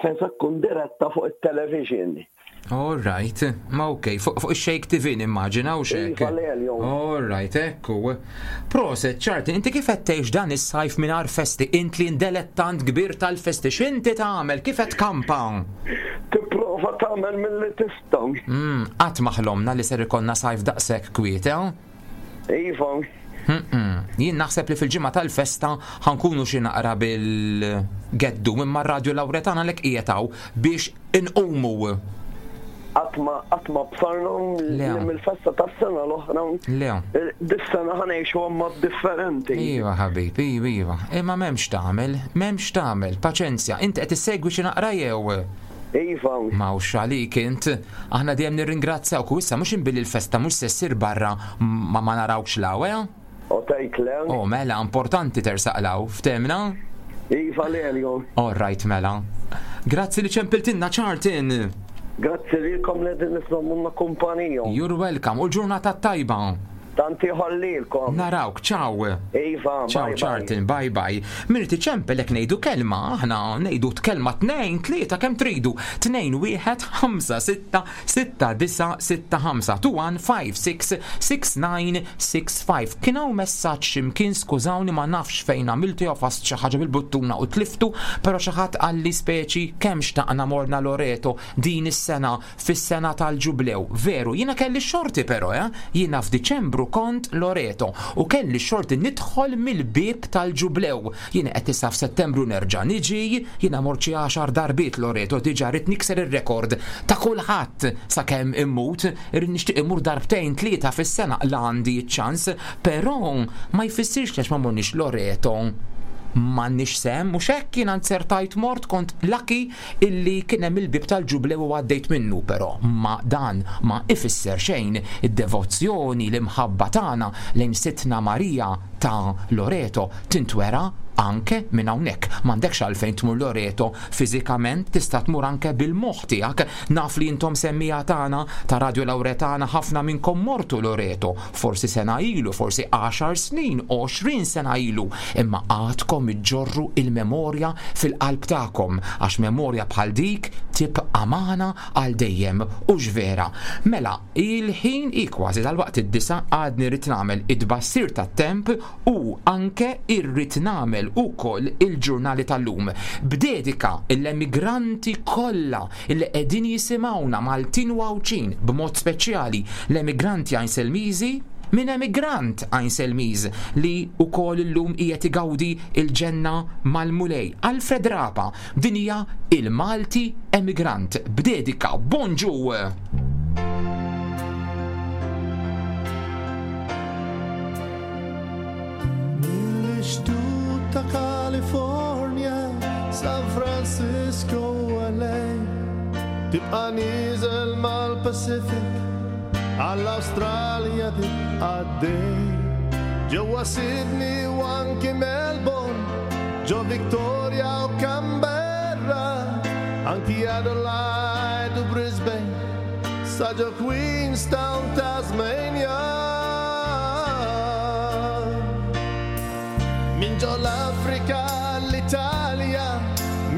fejn se tkun diretta fuq it-television. All right, ma ok, fuq fuq ix-Shake T V nimmaġina u xek. Iva, Lelio. All right, ekku. Proset, Charlton, inti kif qed tgħix dan is-sajf mingħajr festi? Int li indelettant kbir tal-festi, x'inti tagħmel? Kif qed tkampa? Tipprova tagħmel milli tista'. Mm, qatt ma ħlomna li ser ikollna sajf daqshekk kwiet, eh? Iva. Mm-mm. Jien naħseb li fil-ġimgħa tal-festa ħankunu xi naqra bil-geddu imma r-Radio Lauretana lek qiegħed hawn biex inqumu. Qatt ma qatt ma bsarna Le. li mill-festa tas-sena l-oħra. Le. Dis-sena ħanejxu mod differenti. Iva ħabib, iva, iva. Imma m'hemmx tagħmel, m'hemmx tagħmel, paċenzja. Inti qed issegwi xi naqra jew? Iva. Mawx għalik int. Aħna dejjem nirringrazzjawk u issa mhux inbilli l-festa mhux se ssir barra ma ma narawkx law, eh? U tgħid le. Oh, mela, importanti tersaq law, ftemna? Iva Lelio. All right, mela. Grazzi li ċempiltinna, Charlton. Grazzi lilkom li din iżommuna kumpanija. You're welcome. U l-ġurnata tajba. Tanti ħollilkom. Narawk, ciao. Iva, Ciao, bye, bye. Charlton, bye bye. Min iċempel jekk ngħidu kelma, aħna ngħidu kelma tnejn, tlieta kemm tridu. Tnejn wieħed ħamsa sitta sitta disa sitta ħamsa two one five six six nine six five. Kien hawn messaġġ x'imkien, skużawni ma nafx fejn għamiltu jew fast xi ħaġa bil-buttuna u tliftu, però xi ħadd qalli speċi kemm xtaqna morna Loreto din is-sena fis-sena tal-ġublew. Veru, jiena kelli xorti però, eh? Jiena f'Diċembru kont Loreto u kelli xorti nidħol mill-bieb tal-ġublew. Jiena qed issa f'Settembru nerġa' niġi, jiena mort xi għaxar darbiet Loreto, diġà rrid nikser ir-rekord ta' kulħadd sakemm immut, irrid nixtieq immur darbtejn tlieta fis-sena la għandi ċ-ċans, però ma jfissirx għax ma morniex Loreto m'għandniex sem, mhux hekk jiena nzertajt mort, kont lucky illi kien hemm il-bieb tal-ġublew u għaddejt minnu, però ma dan ma ifisser xejn. Id-devozzjoni, l-imħabba tagħna lejn Sidtna Marija ta' Loreto tintwera anke minn hawnhekk. M'għandekx għalfejn tmur Loreto fiżikament, tista' tmur anke bil-moħħ tiegħek. Naf li intom semmija tagħna ta' Radio Lauretana ħafna minnkom mortu Loreto, forsi sena ilu, forsi għaxar snin, għoxrin sena ilu, imma għadkom iġġorru il-memorja fil-qalb tagħkom, għax memorja bħal dik tibqa' magħna għal dejjem, u x'vera. Mela, il-ħin hi kważi dal-waqt id-disa, għadni rrid nagħmel id-bassir tat-temp u anke irrid nagħmel ukoll il-ġurnali tal-lum. B'dedika l-emigranti kollha li qegħdin jisimgħuna Maltin u Għawdxin, b'mod speċjali l-emigranti Għajnselmiżi, minn emigrant Għajnselmiż li wkoll illum qiegħed igawdi il-ġenna mal-Mulej. Alfred Rapa, din hija il-Malti emigrant. B'dedika, bonġu! Mill-ixtut ta' California, San Francisco Tibqa' nieżel mal-Pacific, għall-Awstralja tibqa' għaddej. Ġewwa Sydney u anki Melbourne, ġo Victoria u Canberra, anki Adelaide u Brisbane, sa ġo Queenstown, Tasmania. Min ġo l-Afrika, l-Italja,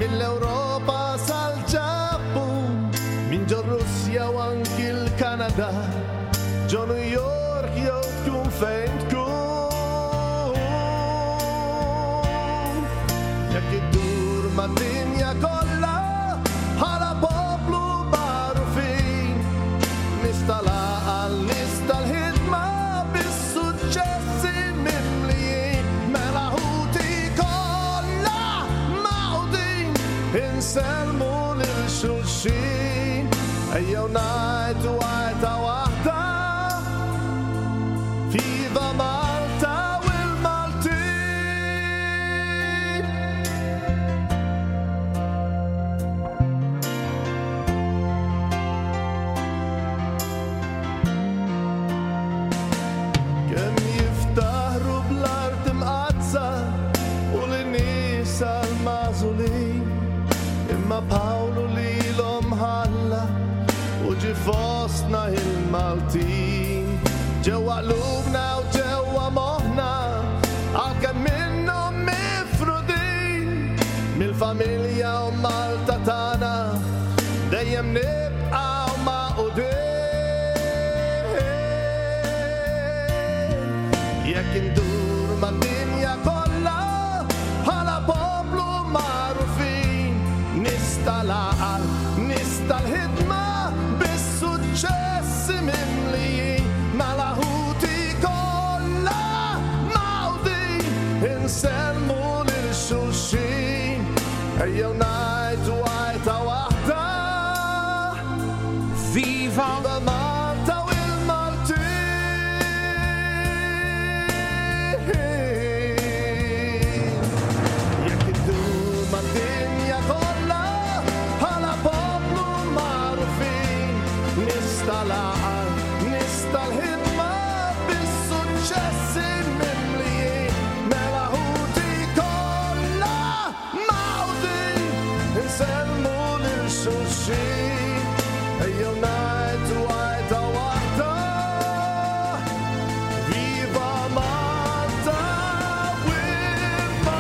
mill-Europa sal-Ġappun, min ġo Russja u anki l-Kanada, ġo New York jew tkun fejn tkun. Jekk iddur mad-dinja kollha bħala poplu magħrufin, nies tal-għaqal, nies tal-ħidma, bis-suċċessi mimlijin, mela ħuti kollha magħqudin, insellmu lil xulxin, ejjew ngħidu għajta waħda, Viva Malta u l-Maltin. Kemm jiftaħru bl-art imqaddsa u l-nies l-magħżulin, imma Pawlu lilhom ħalla u ġie fostna il-Maltin. Ġewwa qlubna u ġewwa moħħna, għalkemm minnhom mifrudin, mill-familja u Malta tagħna dejjem nibqgħu magħqudin. Jekk indur mad-dinja kollha bħala poplu magħrufin, nies tal-għaqal, nies tal-ħidma, bis-suċċessi mimlijin, mela ħuti kollha magħqudin, insellmu lil xulxin, ejjew ngħidu għajta waħda, Viva Viva Malta u l-Maltin. Jekk iddur mad-dinja kollha bħala poplu magħrufin, nies tal-għaqal, nies tal-ħidma, bis-suċċessi mimlijin, mela ħuti kollha magħqudin, insellmu lil xulxin, ejjew ngħidu għajta waħda, Viva Malta u l-Maltin.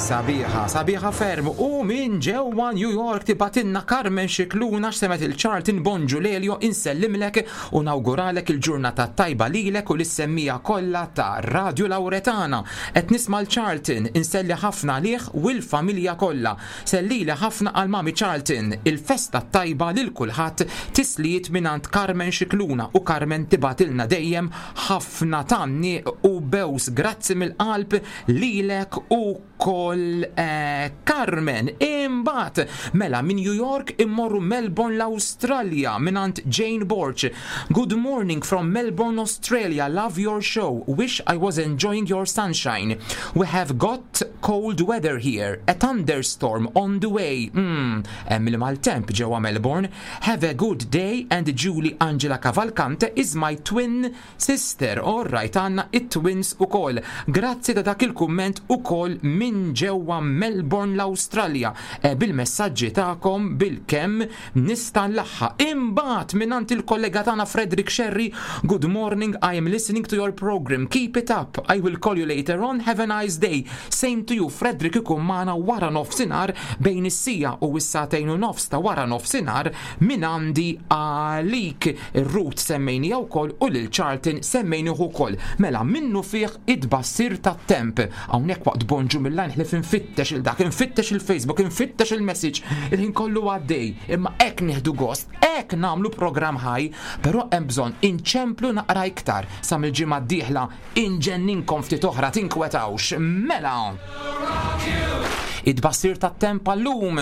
Sabiħa, sabiħa ferm. U minn ġewwa New York tibgħatilna Carmen Xikluna x'semet il-Charlton. Bonġu Lelio, insellimlek u nawguralek il-ġurnata tajba lilek u lis-semmiegħa kollha ta' Radio Lauretana. Qed nisma' l-Charlton, inselli ħafna għalih u l-familja kollha. Sellili ħafna għal mami Charlton. Il-festa tajba lil kulħadd, tislijiet mingħand Carmen Xikluna, u Carmen tibgħatilna dejjem ħafna tgħanniq u bews. Grazzi mill-qalb lilek u kol eh, Carmen. Imbagħad mela minn New York immorru Melbourne l-Awstralja mingħand Jane Borch. Good morning from Melbourne, Australia. Love your show. Wish I was enjoying your sunshine. We have got cold weather here. A thunderstorm on the way. Mm, hemm il-maltemp ġewwa Melbourne. Have a good day and Julie Angela Cavalcante is my twin sister. All right, għandna it-twins ukoll. Grazzi ta' dak il-kumment ukoll minn ġewwa Melbourne l-Awstralja. E, bil-messaġġi tagħkom bil-kemm nista' nlaħħaq. Imbagħad mingħand il-kollega tagħna Frederick Sherry, good morning, I am listening to your program. Keep it up. I will call you later on. Have a nice day. Same to you, Frederick ikun magħna wara nofsinhar bejn is-siegħa u s-sagħtejn u nofs ta' wara nofsinhar minn għandi għalik. Ir-Ruth semmejni wkoll u lil Charlton semmejni ukoll. Mela minnu fih id-bassir tat-temp. Hawnhekk waqt bonġu mill-lajn ħlif infittex il-dak, infittex il-Facebook, infittex il-message, il-ħin kollu għaddej. Imma hekk nieħdu gost, hekk nagħmlu programm ħaj, però hemm bżonn inċemplu naqra iktar sa mill-ġimgħa d-dieħla inġenninkom ftit oħra, tinkwetawx. Mela. It-tbassir tat-temp għallum.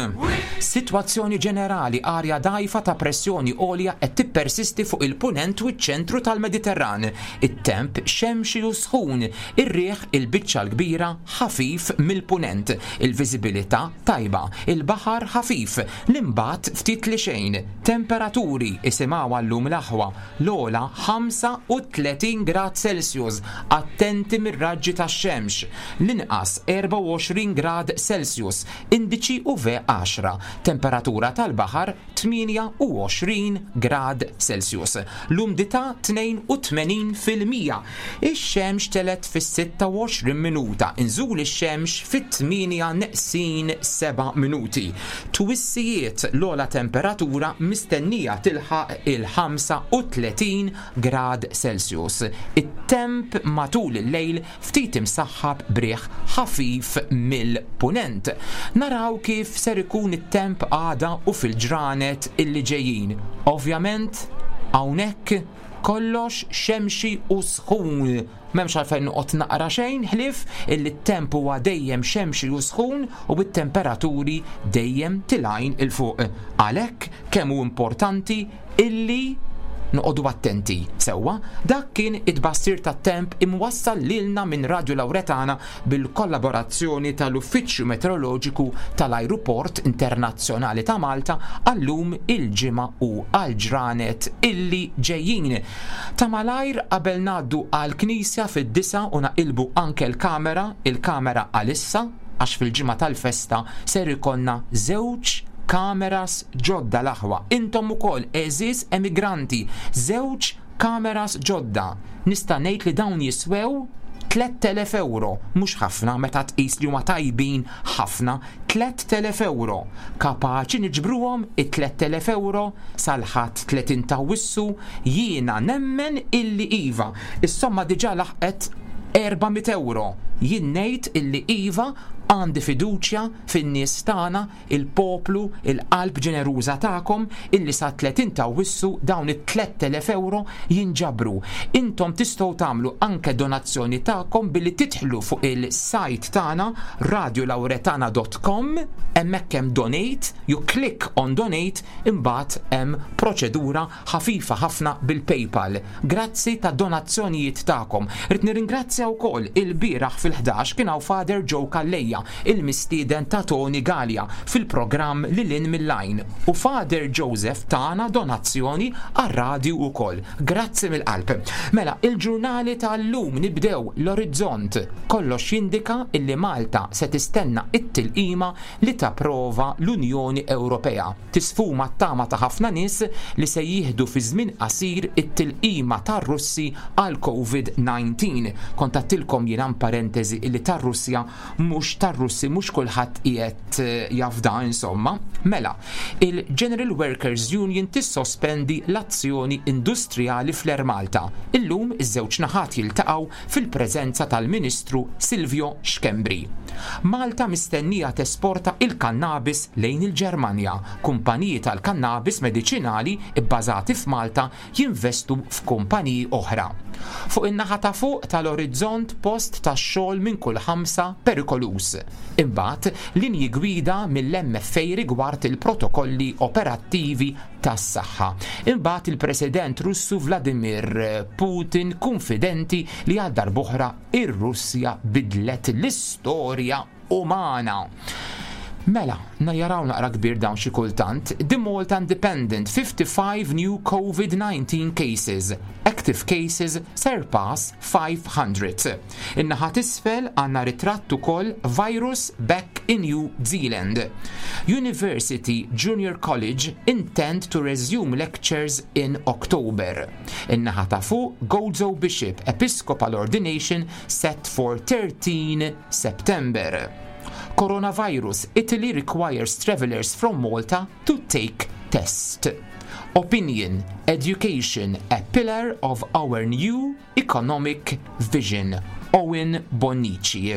Sitwazzjoni ġenerali: arja dgħajfa ta' pressjoni għolja qed tippersisti fuq il-punent u ċ-ċentru tal-Mediterran. It-temp xemxi u sħun, ir-riħ il-biċċa l-kbira ħafif mill-punent, il-viżibilità tajba, il-baħar ħafif, l-imbat ftit li xejn. Temperaturi, isimgħu għallum l-aħwa, l-ogħla ħamsa u tletin grad Celsius, attenti mir-raġġi tax-xemx, l-inqas erbgħa u għoxrin grad Celsius, indiċi U V għaxra, temperatura tal-baħar tmienja u għoxrin grad Celsius. L-umdità tnejn u tmenin fil-mija. Ix-xemx telgħet fis-sitta u għoxrin minuta, inżul ix-xemx fit-tmienja neqsin seba' minuti. Twissijiet: l-ogħla temperatura mistennija tilħaq il-ħamsa u tletin grad Celsius. It-temp matul il-lejl ftit imsaħħab b'riħ ħafif mill-punent. Naraw kif ser ikun it-temp għada u fil-ġranet illi ġejjin. Ovvjament, hawnhekk kollox xemxi u sħun. M'hemmx għalfejn noqgħod naqra xejn ħlif illi t-temp huwa dejjem xemxi u sħun u bit-temperaturi dejjem tilgħin 'il fuq. Għalhekk kemm hu importanti illi noqogħdu attenti. Sewwa, dak kien it-tbassir tat-temp imwassal lilna minn Radio Lauretana bil-kollaborazzjoni tal-Uffiċċju Meteoroloġiku tal-Ajruport Internazzjonali ta' Malta għallum il-ġimgħa u għal-ġranet illi ġejjin. Ta' malajr qabel ngħaddu għal-Knisja fid-disgħa u naqilbu anke l-kamera, il-kamera għalissa, għax fil-ġimgħa tal-festa ser ikollna żewġ kameras ġodda, l-aħwa. Intom ukoll, għeżież emigranti, żewġ kameras ġodda. Nista' ngħid li dawn jiswew tliet elef euro, mhux ħafna meta tqis li huma tajbin ħafna, tliet elef euro. Kapaċi niġbruhom it-tliet elef euro sal-Ħadd tletin ta' Awwissu? Jiena nemmen illi iva. Is-somma diġà laħqet erba' mitt euro. Jien ngħid illi iva, għandi fiduċja fin-nies tagħna, il-poplu, il-qalb ġeneruża tagħkom, illi sa tletin ta' Awwissu dawn it-tliet elef euro jinġabru. Intom tistgħu tagħmlu anke donazzjoni tagħkom billi tidħlu fuq il-site tagħna radiolauretana punt com, hemmhekk hemm donate, you click on donate, imbagħad hemm proċedura ħafifa ħafna bil-PayPal. Grazzi ta' donazzjonijiet tagħkom. Rrid nirringrazzja wkoll, il-bieraħ fil-ħdax kien hawn Father Joe Calleja, il-mistieden ta' Tony Gallia fil-programm Lil Hinn mill-Għajn, u Father Joseph tana donazzjoni għar-radju ukoll. Grazzi mill-qalb. Mela, il-ġurnali tal-lum, nibdew l-Orizzont. Kollox jindika illi Malta se tistenna it-tilqima li tapprova l-Unjoni Ewropea. Tisfuma t-tama ta' ħafna nies li se jieħdu fi żmien qasir it-tilqima tar-Russi għal COVID disa. Kont għedtilkom jiena, parentesi, illi tar-Russja mhux tar-Russi mhux kulħadd qiegħed eh, jafda insomma. Mela, il-General Workers Union tissospendi l-azzjoni industrijali fl-Air Malta. Illum iż-żewġ naħat jiltaqgħu fil-preżenza tal-Ministru Silvio Schembri. Malta mistennija tesporta il-kannabis lejn il-Ġermanja. Kumpaniji tal-kannabis mediċinali bbażati f'Malta jinvestu f'kumpaniji oħra. Fuq in-naħa ta' fuq tal-Orizzont, post tax-xogħol minn kull ħamsa perikoluż. Imbagħad linji gwida mill-M F A rigward il-protokolli operattivi tas-saħħa. Imbagħad il-President Russu Vladimir Putin konfidenti li għal darb'oħra ir-Russja bidlet l-istorja umana. Mela, najaraw naqra kbir dawn xi kultant. The Malta Independent, fifty-five new COVID nineteen cases. Active cases surpass five hundred. In-naħa t'isfel għandna ritratt ukoll, virus back in New Zealand. University Junior College intend to resume lectures in October. In-naħa ta' fuq, Gozo Bishop Episcopal ordination set for thirteen September. Coronavirus, Italy requires travelers from Malta to take test. Opinion, education, a pillar of our new economic vision. Owen Bonnici.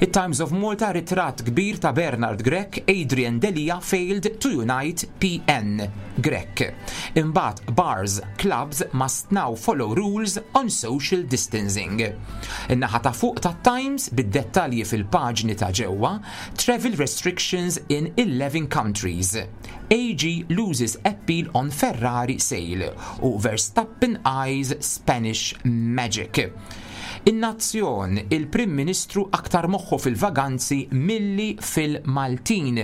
It-Times of Malta ritratt kbir ta' Bernard Grech, Adrian Delia failed to unite P N. Grech. Imbagħad bars, clubs must now follow rules on social distancing. In-naħa ta' fuq ta' Times bid-dettalji fil-paġni ta' ġewwa, travel restrictions in eleven countries. A G loses appeal on Ferrari sale u Verstappen eyes Spanish Magic. In-Nazzjon, il-Prim Ministru aktar moħħu fil-vaganzi milli fil-Maltin.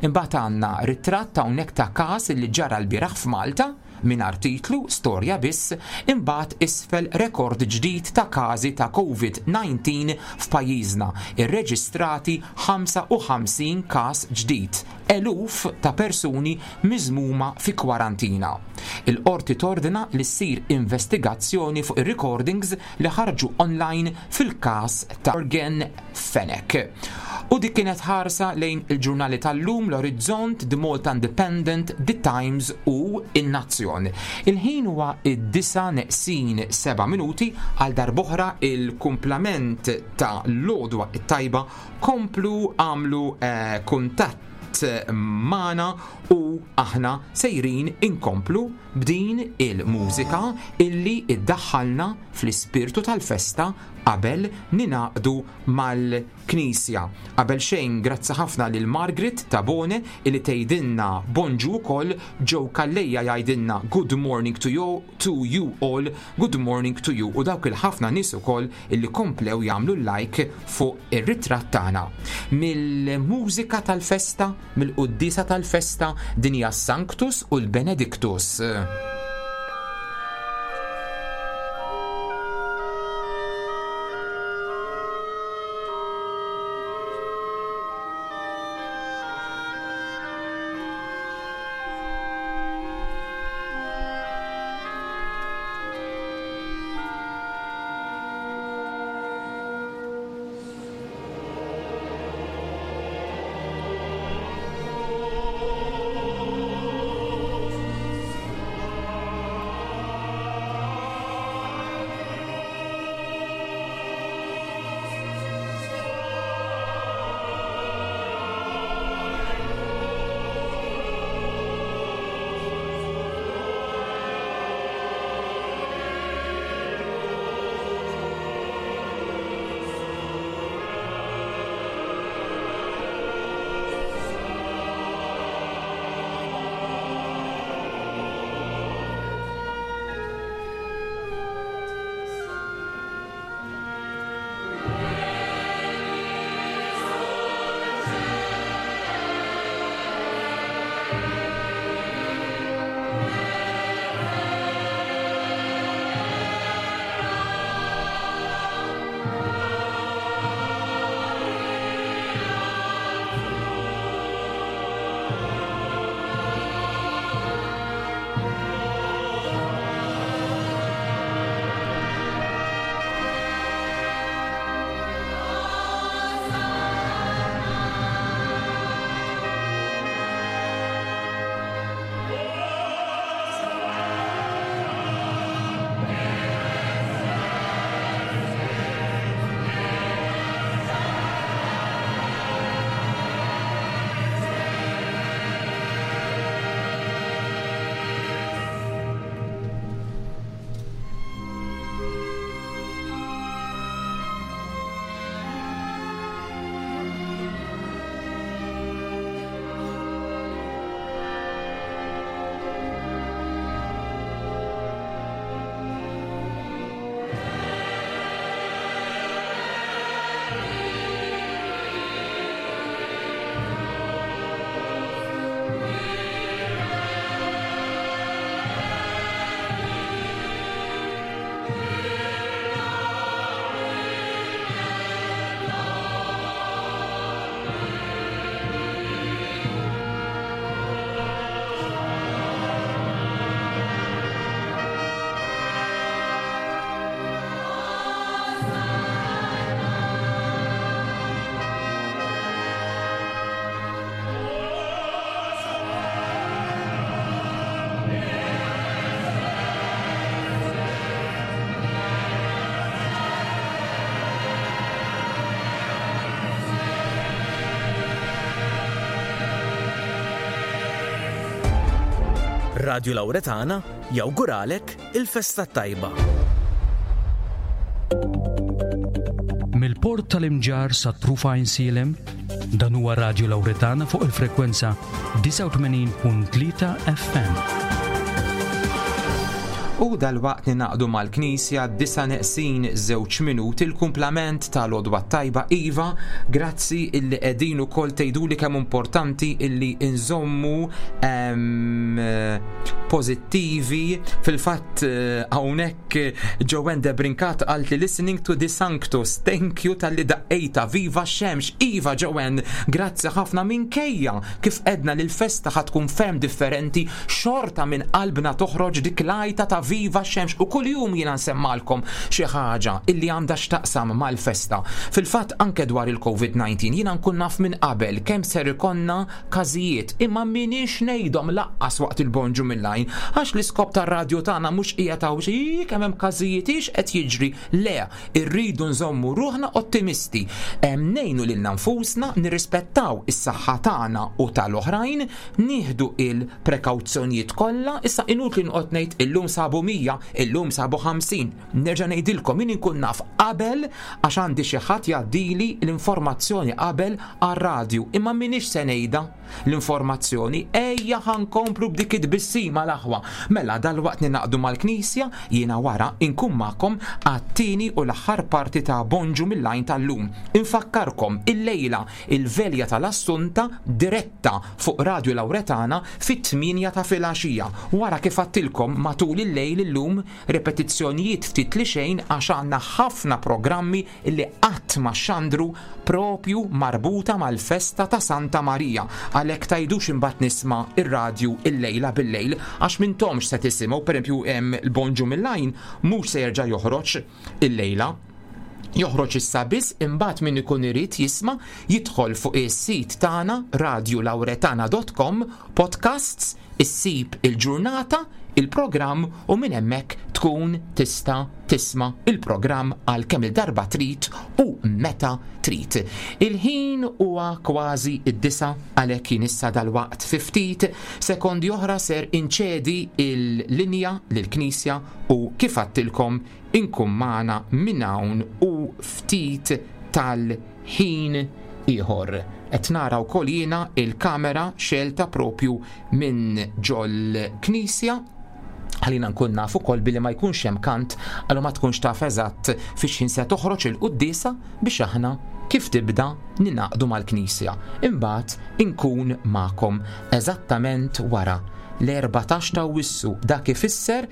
Imbagħad għandna ritratt hawnhekk ta' każ li ġara l-bieraħ f'Malta minn artiklu, storja biss, imbagħad isfel rekord ġdid ta' każi ta' COVID nineteen f'pajjiżna, irreġistrati ħamsa u ħamsin każ ġdid, eluf ta' persuni miżmuma fi kwarantina. Il-qorti tordina li ssir investigazzjoni fuq ir-recordings li ħarġu online fil-każ ta' Yorgen Fenech. U dik kienet ħarsa lejn il-ġurnali tal-lum, l-Orizzont, The Malta Independent, The Times u In-Nazzjon. Il-ħin huwa id-disa neqsin seba' minuti. Għal darb'oħra il-kumplament ta' l-għodwa it-tajba, komplu għamlu eh, kuntatt magħna u aħna sejrin inkomplu b'din il-mużika illi iddaħħalna fl-ispirtu tal-festa qabel ningħaqdu mal-Knisja. Qabel xejn, grazzi ħafna lil Margaret Tabone illi tgħidilna bonġu wkoll. Joe Calleja jgħidilna good morning to you, to you all, good morning to you, u dawk il-ħafna nies ukoll illi komplew jagħmlu like fuq ir-ritratt tagħna. Mill-mużika tal-festa, mill-quddisa tal-festa, din hija Sanctus u l-Benedictus. Radio Lauretana jawguralek il-festa tajba. Mill-port tal-Imġarr sa trufa Għajnsielem, dan huwa Radio Lauretana fuq il-frekwenza disgħa u tmenin punt tlieta F M. U dalwaqt ninaqdu mal-Knisja, disa neqsin żewġ minuti, il-kumplament tal-għodwa tajba. Iva, grazzi illi qegħdin ukoll tgħiduli kemm importanti illi nżommu em, pożittivi. Fil-fatt eh, hawnhekk Joanne de Brincat qalt li "listening to the Sanctus, thank you talli daqqejta, viva xemx". Iva Joanne, grazzi ħafna. Minkejja kif edna li l-festa ħa tkun ferm differenti, xorta minn qalbna toħroġ dik l-għajta ta' viva xemx u kuljum jiena nsemmalkom xi ħaġa illi għandha x'taqsam mal-festa. Fil-fatt anke dwar il-COVID disa jiena nkun naf minn qabel kemm ser ikonna każijiet, imma minix ngħidhom lanqas waqt il-Bonġu mill-Għajn, għax l-iskop tar-radju tagħna mhux qiegħed hawn xi kemm hemm każijiet, ix qed jiġri. Le, irridu nżommu ruħna ottimisti. Em, Ngħinu lilna nfusna, nirrispettaw is-saħħa tagħna u tal-oħrajn, nieħdu il-prekawzjonijiet kollha. Issa inutli nqgħod ngħid illum sabu mija, illum sabu ħamsin. Nerġa' ngħidilkom, min inkun naf qabel għax għandi xi ħadd jgħaddili l-informazzjoni qabel għar-radju, imma minix se ngħidha l-informazzjoni. Ejja ħa nkomplu b'dik it-tbissima, l-aħwa. Mela dalwaqt ninaqdu mal-Knisja, jiena wara inkun magħkom għat-tieni u l-aħħar parti ta' Bonġu mill-Għajn tal-lum. Infakkarkom illejla il-velja tal-Assunta diretta fuq Radio Lauretana fit-tmienja ta' filgħaxija. Wara, kif għedtilkom, matul il-lejl illum repetizzjonijiet ftit li xejn, għax għandna ħafna programmi illi qatt ma xandru propju marbuta mal-festa ta' Santa Marija. Għalhekk tgħidux imbagħad nisma' ir-radju illejla bil-lejl, għax m'intomx se tisimgħu. Pereżempju, hemm il-Bonġu mill-Għajn mhux se jerġa' joħroġ illejla, joħroġ issa biss, imbagħad min ikun irid jisma' jidħol fuq is-sit tagħna radiolauretana punt com, podcasts, issib il-ġurnata, il-programm u minn hemmhekk tkun tista' tisma' il-programm għal kemm il-darba trid u meta trid. Il-ħin huwa kważi id-disa, għalhekk jien issa dalwaqt fi ftit sekondi oħra ser inċedi il-linja lill-Knisja u kif għedtilkom inkun magħna minn hawn u ftit tal-ħin ieħor. Qed nara wkoll jiena il-kamera xelta propju minn ġol knisja, ħalina nkun naf ukoll billi ma jkunx hemm kant, għallu ma tkunx taf eżatt fiex ħin se toħroġ il-quddiesa biex aħna kif tibda ninaqdu mal-knisja. Imbagħad inkun magħkom eżattament wara l-erbatax ta' Awwissu. Dak ifisser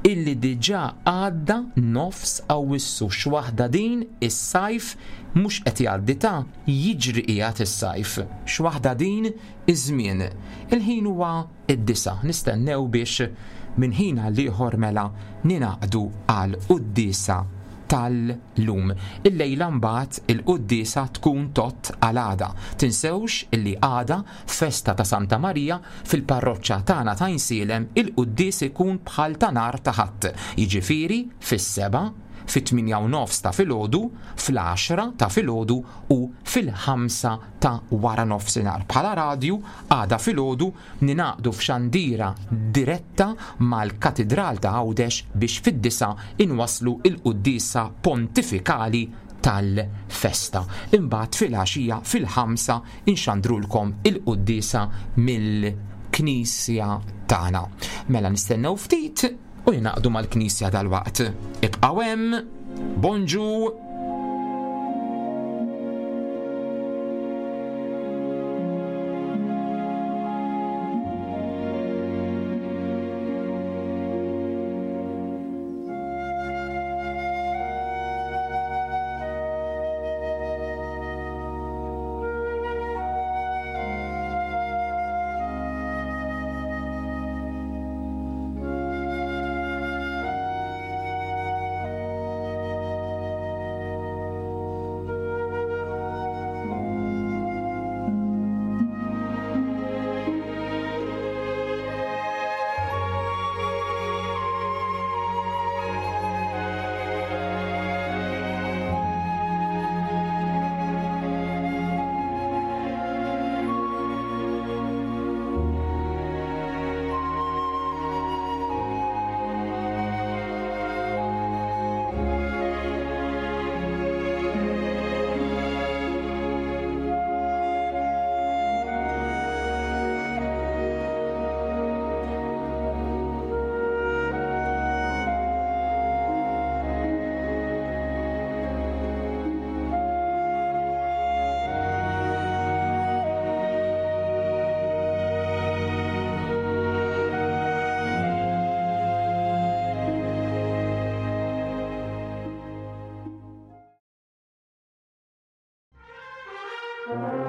illi diġà għadda nofs Awwissu. X'waħda din, is-sajf mhux qed jgħaddi ta', jiġri qiegħed is-sajf. X'waħda din iż-żmien. Il-ħin huwa id-disa, nistennew biex minn ħin għal ieħor mela ninaqdu għal quddiesa tal-lum. Illejla mbagħad il-quddiesa tkun tot għal għada. Tinsewx illi għada festa ta' Santa Marija, fil-parroċċa tagħna ta' Għajnsielem il-quddies ikun bħal ta' nhar ta' Ħadd. Jiġifieri fis-seba', fit-tmienja u nofs ta' filgħodu, fl-għaxra ta' filgħodu u fil-ħamsa ta' wara nofsinhar. Bħala radju għada filgħodu ninaqdu f'xandira diretta mal-Katidral ta' Għawdex biex fid-disa inwaslu il-quddiesa pontifikali tal-festa. Imbagħad fil-għaxija fil-ħamsa inxandrulkom il-quddiesa mill-Knisja tagħna. Mela nistennew ftit u ninaqdu mal-Knisja dalwaqt. Ibqgħu hemm, bonġu! Thank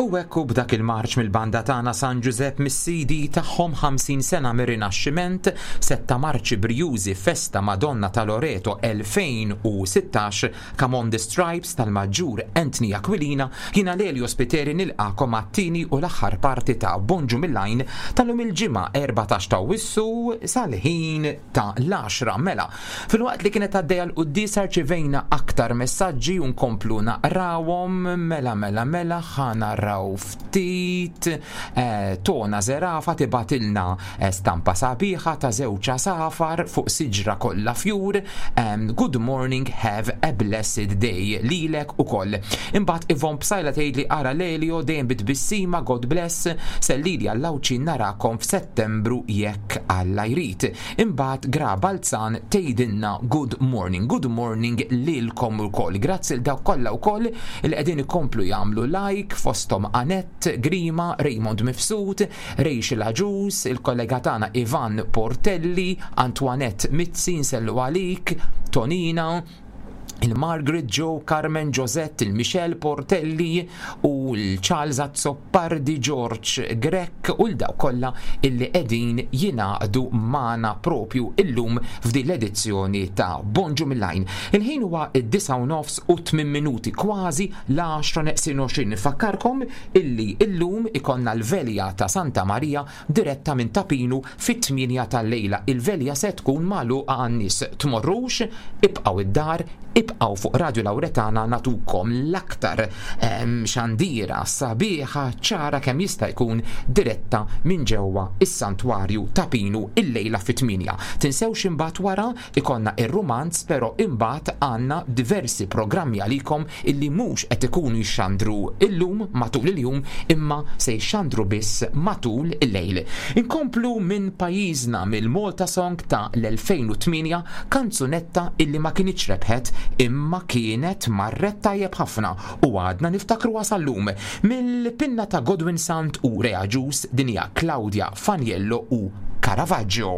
U hekk b'dak il-marċ mill-banda tagħna San Giuseppe mis-C D tagħhom ħamsin sena mir-Rinaxximent, setta marċi brjużi, Festa Madonna ta' Loreto elfejn u sittax, Come on the Stripes tal-Maġġur Anthony Aquilina, jiena Lelio Spiteri nilqagħkom għat-tieni u l-aħħar parti ta' Bonġu mill-Għajn tal-lum, il-Ġimgħa erbatax ta' Awwissu, sal-ħin ta' l-għaxra. Mela, filwaqt li kienet għaddejja l-quddiesa rċivejna aktar messaġġi u nkomplu naqrawhom. Mela, mela, mela, ħa naraw ftit. eh, Tona Zerafa tibgħatilna eh, stampa sabiħa ta' żewġ għasafar fuq siġra kollha fjur. um, Good morning, have a blessed day lilek ukoll. Imbagħad Ivon Psajla tgħidli: "Ara Lelio dejjem bit-tbissima, God bless, sellili għall-Għawdxin, narakom f'Settembru jekk Alla jrid." Imbagħad Gra Balzan tgħidilna good morning, good morning lilkom ukoll. Grazzi 'l dawk kollha wkoll li qegħdin ikomplu jagħmlu like, fosthom Anett Grima, Raymond Mifsud, Rachel Aġus, il-kollega tagħna Ivan Portelli, Antoinette Mizzi, nsellu għalik, Tonina, il-Margaret Joe, Carmen Josette, il-Michelle Portelli u l-Charles Azzopardi, George Grech u l-dawk kollha illi qegħdin jingħaqdu magħna propju illum f'din l-edizzjoni ta' Bonġu mill-Għajn. Il-ħin huwa id-disgħa u nofs u tmien minuti, kważi l-għaxra neqsin għoxrin. Nfakkarkom illi illum ikollna l-velja ta' Santa Maria diretta minn Ta' Pinu fit-tmienja tal-lejla. Il-velja se tkun magħluqa għan-nies. Tmorrux, ibqgħu id-dar, ibqgħu fuq Radio Lauretana, nagħtukom l-aktar em, xandira sabiħa, ċara kemm jista' jkun, diretta minn ġewwa is-santwarju Ta' Pinu illejla fit-tmienja. Tinsewx, imbagħad wara ikollna ir-rumanz, però imbagħad għandna diversi programmi għalikom illi mhux qed ikunu jxandru illum matul il-jum imma se jxandru biss matul il-lejl. Inkomplu minn pajjiżna, mill-Malta Song ta' l-elfejn u tmienja, kanzunetta illi ma kinitx rebħet imma kienet marret tajjeb ħafna u għadna niftakru sal-lum. Mill-pinna ta' Godwin Sant u Rea Ġus, din hija Claudia Faniello u Caravaggio.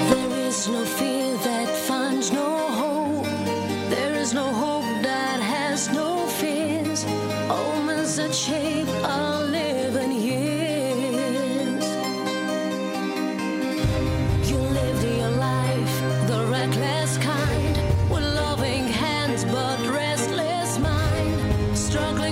There is no fear that finds no hope. There is no hope that has no fears. Omens that shape our living years. You lived your life the reckless kind, with loving hands but restless mind, struggling.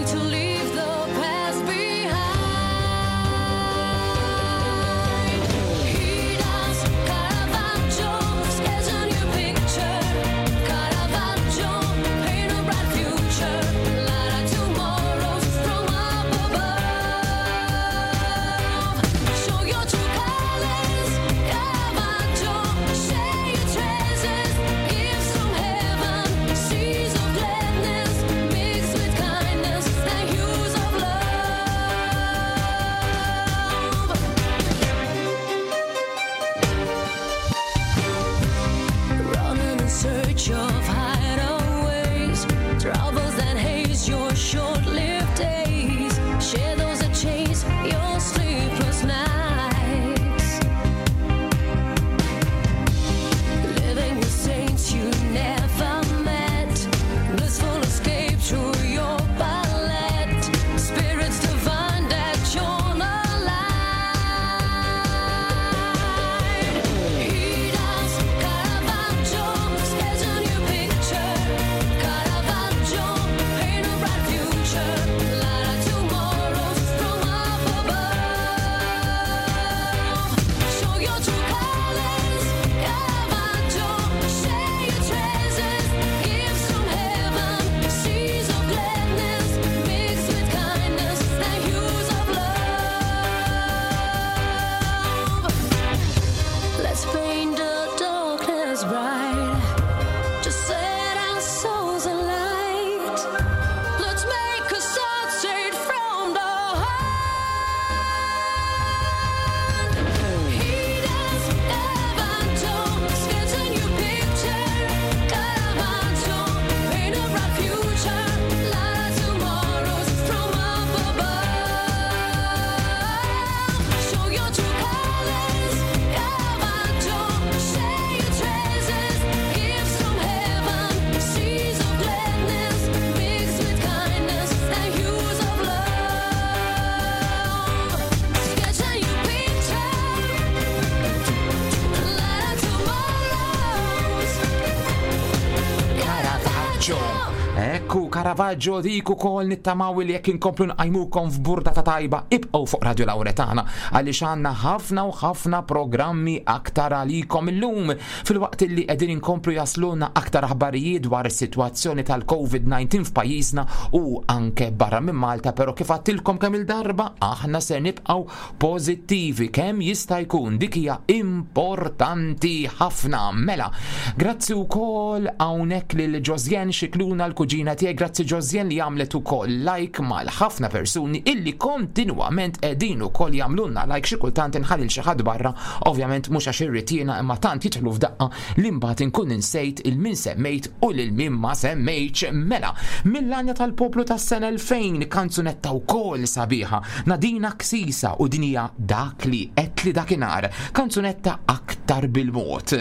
Caravaggio. Ekku, Caravaggio dik ukoll nittamaw li jekk inkomplu nqajmukom f'burdata tajba ibqgħu fuq Radio Lauretana għaliex għandna ħafna u ħafna programmi aktar għalikom illum filwaqt li qegħdin inkomplu jasluna aktar aħbarijiet dwar is-sitwazzjoni tal-Covid diciannove f'pajjiżna u anke barra minn Malta, però kif għattilkom kemm il-darba aħna se nibqgħu pożittivi kemm jista' jkun, dik hija importanti ħafna. Mela, grazzi wkoll hawnhekk lil Josjen Xikluna l-kuġina tiegħi, grazzi Josjen li għamlet ukoll like mal ħafna persuni illi kontinwament qegħdin ukoll jagħmlulna like, xi kultant inħalli xi ħadd barra, ovvjament mhux għax irrid jiena imma tant jidħlu f'daqqa li mbagħad inkun insejt il-min semmejt u lil min ma semmejtx. Mela, mill-Għanja tal-Poplu tas-sena elfejn, kanzunetta wkoll sabiħa, Nadina Ksisa u din hija Dak li qed li dakinhar, kanzunetta aktar bil-mod.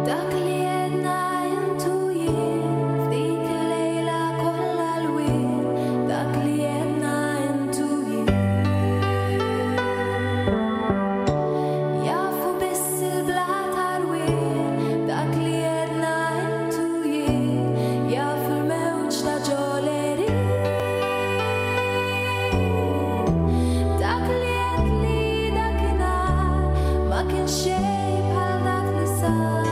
Dak li jedna intu jien f'dik il-lejla kollha l-wien, dak li jedna intu jien. Jafu biss il-bla tarwien, dak li jedna intu jien, jafu l-mewġ ta' ġoleri. Dak li qed li dakinhar ma kienx xejn bħal dak li sar.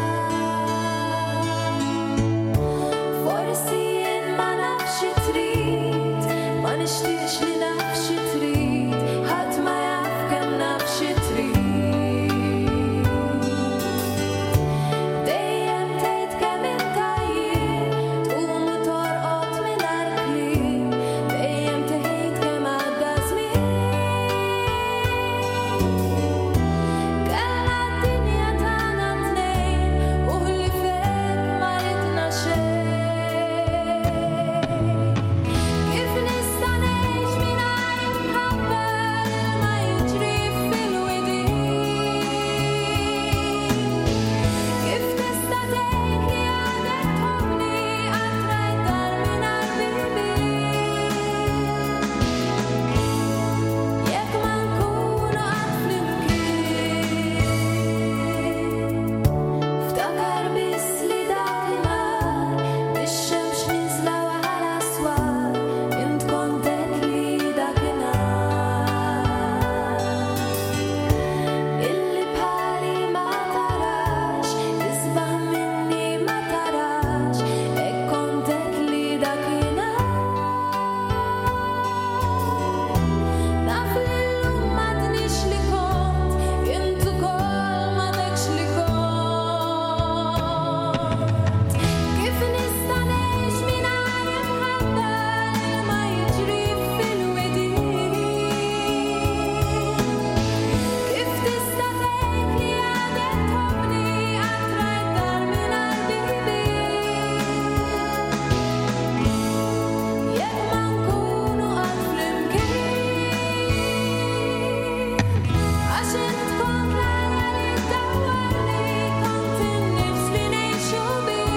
Forsi jien ma nafx xi trid, ma nixtieqx li naf xi trid, ħadd ma jaf kemm naf xi trid. Dejjem tgħid kemm int għajjien, tqum u torqod mingħajr kliem, dejjem tgħid kemm għadda żmien. Kellna d-dinja tagħna tnejn u ħlifek ma ridna xejn. Kif nista' ngħix mingħajr imħabba ma jiġri fil-widien? Kif tista' tgħid li għadek tħobbni qatt rajt dar mingħajr bibien? Jekk ma nkunu qatt flimkien, ftakar biss li dakinhar bix-xemx nieżla wara swar, int kont għedt li dakinhar illi bħali ma tarax, isbaħ minni ma tarax, hekk kont għedt li dakinhar. Naf li llum m'għadnix li kont, int ukoll m'għadekx li kont. Kif nista' ngħix mingħajr imħabba li ma jiġri fil-widien? Kif tista' tgħid li għadek tħobbni qatt rajt dar mingħajr bibien? Jekk ma nkunu qatt flimkien, għax int kont l-għana li ddawwarni, kont in-nifs li ngħixu bih.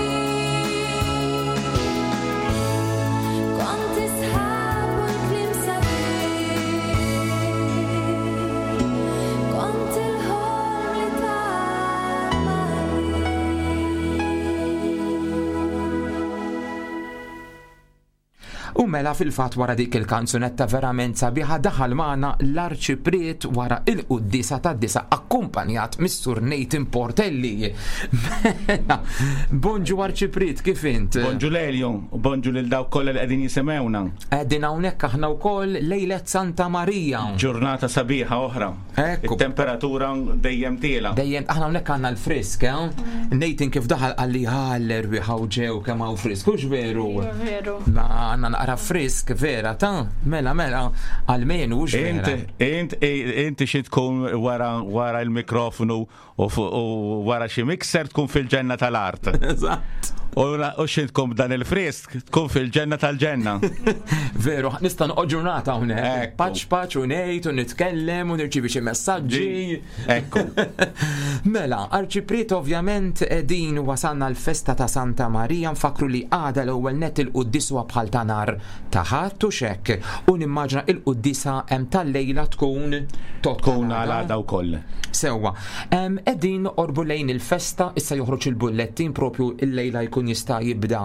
Kont is-sħab u l-kliem sabiħ, kont il-ħolm li tar U mela fil-fat wara dik il-kanzunetta verament sabiħa daħal magħna l-arċipriet wara il-quddisa tad-disa akkumpanjat mis-Sur Nathan Portelli. Mela, bonġu arċipriet, kif int? Bonġu Lelio, u bonġu lil dawk kollha li qegħdin jisimgħuna. Qegħdin hawnhekk aħna wkoll lejlet Santa Marija. Ġurnata sabiħa oħra. Ekku. It-temperatura dejjem tiela. Dejjem aħna hawnhekk għandna l-frisk, eh? Nathan kif daħal qalli ħall erwieħ hawn ġew kemm hawn frisk, hux veru? Veru. Ma għandna naqra frisk vera ta' mela mela għalmenu hux Int vera. int inti xi tkun wara wara l-mikrofonu u fu- u wara xi mixer tkun fil-ġenna tal-art. Eżatt. U la- u xi tkun b'dan il-frisk tkun fil-ġenna tal-ġenna. Veru, nista' noqgħod ġurnata hawnhekk. Ekku. Paċ paċ u ngħid u nitkellem u nirċievi xi messaġġi. Ekku. Mela, Arċipriet ovvjament din wasalna l-festa ta' Santa Marija, nfakru li għada l-ewwel net il-quddis huwa bħal ta' nar nhar ta' Ħadd u xek. U nimmaġina il-quddiesa hemm tal-lejla tkun Tkun għal għada wkoll. Sewwa. Qegħdin noqorbu lejn il-festa, issa joħroġ il-bullettin propju il-lejla jkun jista' jibda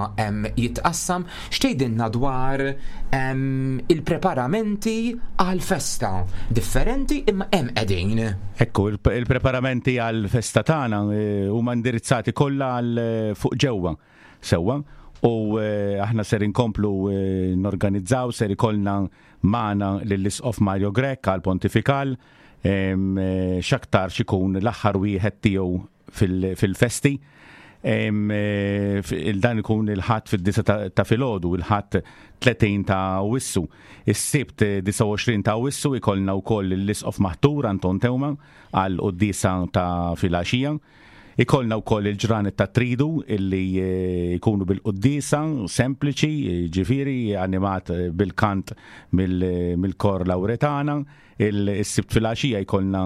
jitqassam. X'tgħidilna dwar il-preparamenti għal-festa? Differenti imma hemm qegħdin. Ekku, il-preparamenti għal-festa tagħna eh, huma indirizzati kollha għal eh, fuq ġewwa. Sewwa. U eh, aħna ser inkomplu norganizzaw, ser ikollna magħna lill-Isqof Mario Grech għal pontifikal, x'aktar xikun l-aħħar wieħed tiegħu fil-festi. Dan ikun il-Ħadd fid-disa ta' filgħodu, il-Ħadd tletin ta' Awwissu. Is-Sibt disgħa u għoxrin ta' Awwissu ikollna wkoll l-Isqof Maħtur Anton Teuma għal quddiesa ta' filgħaxija. Ikollna wkoll il-ġranet ta' tridu illi jkunu bil-quddiesa sempliċi, ġifieri animat bil-kant mill-kor Lauretana. Il-Sibt filgħaxija jkollna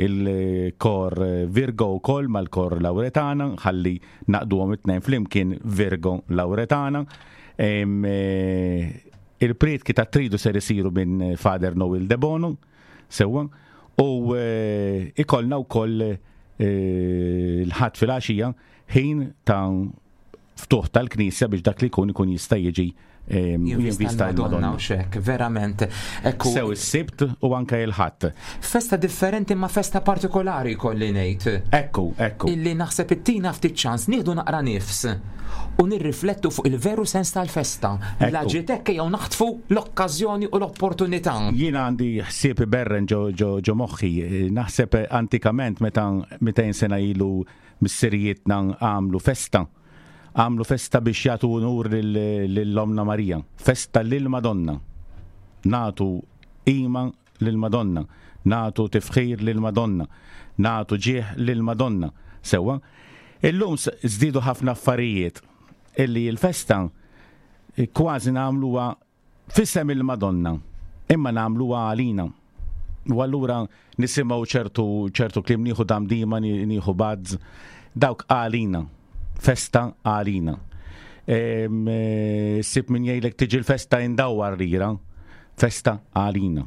il-kor Virgo wkoll mal-kor Lauretana, ħalli naqduhom it-tnejn flimkien Virgo Lauretana. Il-prietki ta' tridu ser isiru minn Father Noel De Bono, sewwa, u ikollna wkoll il-Ħadd filgħaxija ħin ta' ftuħ tal-knisja biex dak li jkun ikun jista' jiġi jinvista l-Madonna. U xek, verament. Ekku. Sew is-Sibt u anke il-Ħadd. Festa differenti ma festa partikolari kolli ngħid. Ekku, ekku. Illi naħseb ittina ftit ċans nieħdu naqra nifs u nirriflettu fuq il-veru sens tal-festa. La ġiet jew naħtfu l-okkażjoni u l-opportunità. Jiena għandi ħsieb iberren ġo, ġo, ġo moħħi. Naħseb antikament meta mitejn sena ilu missirijietna għamlu festa. Għamlu festa biex jagħtu unur lill-Omna Marija. Festa lill-Madonna. Natu qima lill-Madonna. Natu tifħir lill-Madonna. Natu ġieħ lill-Madonna. Sewwa. Illum żdiedu ħafna affarijiet illi l-festa kważi nagħmluha f'isem il-Madonna, imma nagħmluha għalina. U allura nisimgħu ċertu ċertu kliem, nieħu damdima, nieħu bazz, dawk għalina. Festa għalina. Sib min jgħidlek tiġi l-festa indawwar lira. Festa għalina,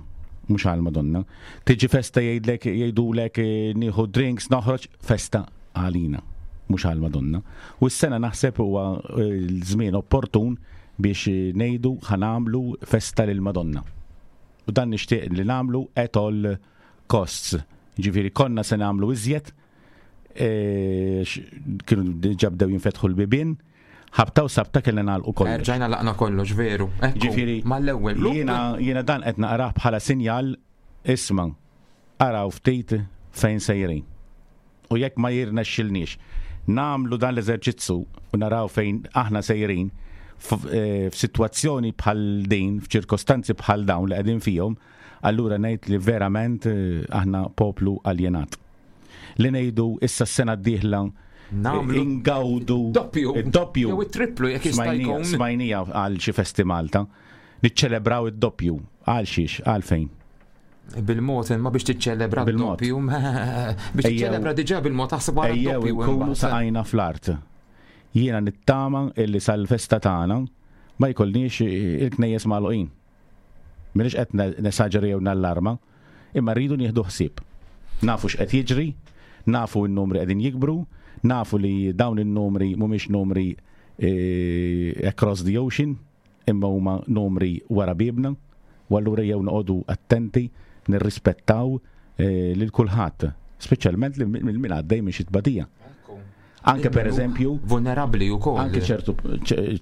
mhux għal-Madonna. Tiġi festa jgħidlek jgħidulek nieħu drinks noħroġ, festa għalina, mhux għal-Madonna. U s-sena naħseb huwa l-żmien opportun biex ngħidu ħanamlu festa lill-Madonna. U dan nixtieq li nagħmlu at all costs. Ġifieri konna se nagħmlu iżjed, kienu diġà bdew jinfetħu l-bibien, ħabta u sabta kellna nagħlqu kollox. Erġajna laqna kollox, veru. Ġifieri mal-ewwel. Jiena jiena dan qed naqrah bħala sinjal, isma' araw ftit fejn sejrin. U jekk ma jirnexxilniex nagħmlu dan l-eżerċizzu u naraw fejn aħna sejrin f'sitwazzjoni bħal din, f'ċirkostanzi bħal dawn li qegħdin fihom, allura ngħid li verament aħna poplu aljenat. Li ngħidu issa s-sena d-dieħla ingawdu doppju, id-doppju, jew it-triplu jekk jista' jkun. Smajnija għal xi festi Malta, niċċelebraw id-doppju għal xiex, għal fejn? Bil-mod, imma biex tiċċelebra d-doppju, biex tiċċelebra diġà bil-mod taħseb wara d-doppju. Ejjew inkunu saqajna fl-art. Jiena nittama illi sal-festa tagħna ma jkollniex il-knejjes magħluqin. M'iniex qed nesaġeri jew nallarma, imma rridu nieħdu ħsieb. Nafu x'qed jiġri, nafu n-numri qegħdin jikbru, nafu li dawn in-numri mhumiex numri across the ocean, imma huma numri wara bibna, u allura jew noqogħdu attenti nirrispettaw lil kulħadd, speċjalment lil min għaddej minn xi tbatija. Anke per eżempju vulnerabbli wkoll. Anke ċertu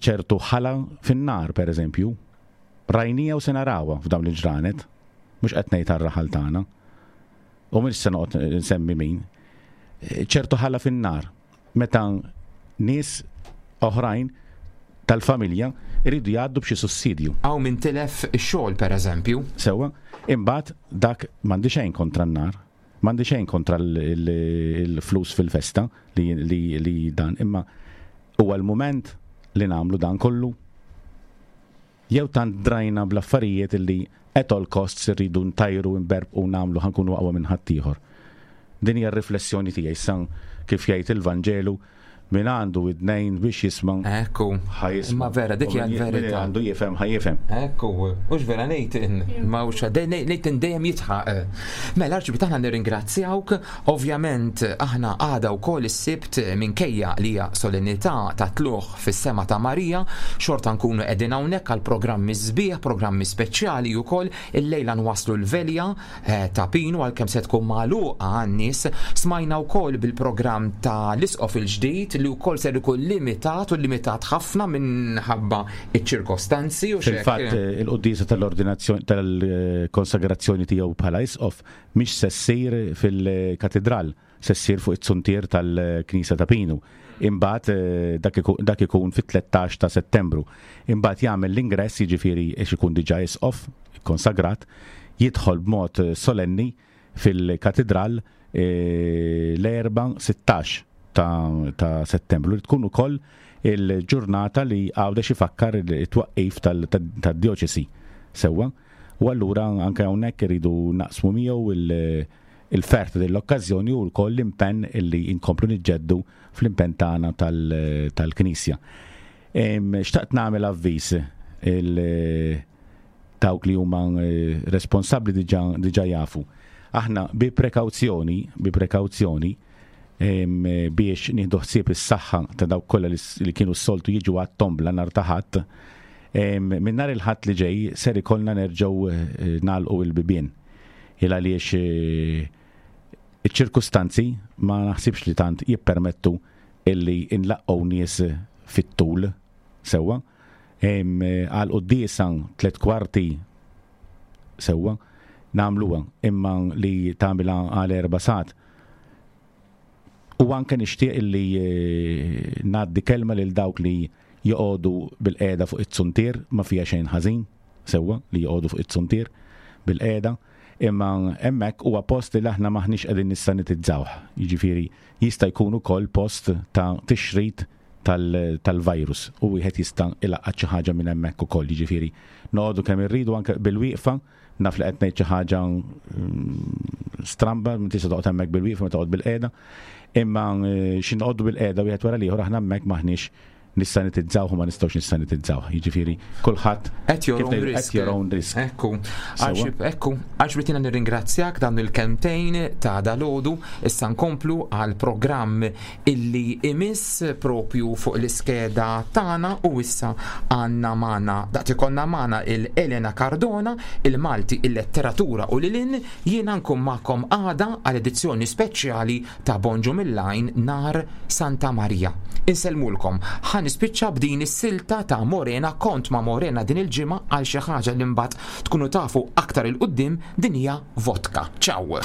ċertu ħala fin-nar per eżempju, rajnija u se narawha f'dawn il-ġranet, mhux qed ngħid għar-raħal tagħna. U mhux se noqgħod nsemmi min. Ċertu ħala fin-nar meta nies oħrajn tal-familja iridu jgħaddu b'xi sussidju. Aw min tilef ix-xogħol pereżempju. Sewwa, imbagħad dak m'għandi xejn kontra n-nar, m'għandi xejn kontra l-flus fil-festa li, li dan, imma huwa l-mument li nagħmlu dan kollu. Jew tant drajna bl-affarijiet illi at all costs irridu ntajru, nberbqu u nagħmlu ħankunu aqwa minn ħaddieħor. Din hija r-riflessjoni tiegħi issa kif jgħid il-Vanġelu Min għandu widnejn biex jisma'. Ekku. Ħa jisma'. Ma vera, dik hija U min- l-verità. Min għandu jifhem ħa jifhem. Ekku, hux vera Nathan, ma hux Nathan dejjem jitħaq. Mela Arċipriet aħna nirringrazzjawk, ovvjament aħna għada wkoll is-Sibt minkejja li hija solennità ta' tlugħ fis-sema ta' Marija, xorta nkunu qegħdin hawnhekk għal programmi sbieħ, programmi speċjali wkoll, illejla nwaslu l-velja eh, ta' Pinu għalkemm se tkun magħluqa għan-nies, smajna wkoll bil-programm ta' l-isqof il-ġdid li wkoll ser ikun limitat u limitat ħafna minħabba iċ-ċirkostanzi u xek. Fil-fatt eh, il-quddiesa tal-ordinazzjoni tal-konsagrazzjoni tiegħu bħala isqof mhix se ssir fil-katedral, se ssir fuq it-suntier tal-Knisja ta' Pinu. Imbagħad eh, dak iku- dak ikun fit-tlettax ta' Settembru. Imbagħad jagħmel l-ingress, jiġifieri għax ikun diġà isqof konsagrat, jidħol b'mod solenni fil-katedral eh, l-erba' sittax ta', ta' Settembru, li tkun ukoll il-ġurnata li Għawdex ifakkar it-twaqqif tad-dioċesi sewwa. U allura anke hawnhekk iridu naqsmu miegħu il- il-fert dell-okkażjoni u wkoll l-impenn illi inkomplu niġġeddu fl-impenn tagħna tal- tal-Knisja. Em, Xtaqt nagħmel avviż il- dawk li huma eh, responsabbli diġà diġà jafu. Aħna bi prekawzjoni, bi prekawzjoni em, biex nieħdu ħsieb is-saħħa ta' dawk kollha li s-, li kienu s-soltu jiġu għat-tombla nhar ta' Ħadd, em, minn nhar il-Ħadd li ġej ser ikollna nerġgħu, eh, nagħlqu il-bibien. Il għaliex, eh, iċ-ċirkustanzi ma naħsibx li tant jippermettu illi nlaqqgħu nies fit-tul sewwa. Em, għal quddiesa tliet kwarti sewwa nagħmluha, imma li tagħmilha għal erba' sigħat. U anke nixtieq illi, eh, ngħaddi kelma lil dawk li joqogħdu bil-qiegħda fuq it-suntier, ma fiha xejn ħażin sewwa li joqogħdu fuq it-suntier bil-qiegħda, imma hemmhekk huwa post li aħna maħniex qegħdin nissanitizzawh. Jiġifieri jista' jkun ukoll post ta' tixrid tal-, tal-virus u wieħed jista' ilaqqat xi ħaġa minn hemmhekk ukoll. Jiġifieri noqogħdu kemm irridu anke bil-wieqfa, naf li qed ngħid xi ħaġa, mm, stramba, ma tista' toqgħod hemmhekk bil-wieqfa, ma toqgħod bil-qiegħda, imma, eh, xi noqogħdu bil-qiegħda wieħed wara l-ieħor aħna hemmhekk maħniex nissanitizzawh u ma nistgħux nissanitizzawh. Jiġifieri kulħadd At your kif own ngħidu, risk. At your own risk. Ekku. Sewwa. Arċib, ekku, Arċipriet jiena nirringrazzjak dan il-kelmtejn ta' dalodu. Issa nkomplu għal programm illi imiss propju fuq l-iskeda tagħna u issa għandna magħna, daqt ikollna magħna il-Elena Cardona, il-Malti, il-letteratura u lilin. Jiena nkun magħkom għada għal edizzjoni speċjali ta' Bonġu Mill-Lajn nar Santa Maria. Insellmulkom. Ħa nispiċċa b'din is-silta ta' Morena, kont ma' Morena din il-ġimgħa għal xi ħaġa li mbagħad tkunu tafu aktar il-qudiem, din hija vodka. Ciao.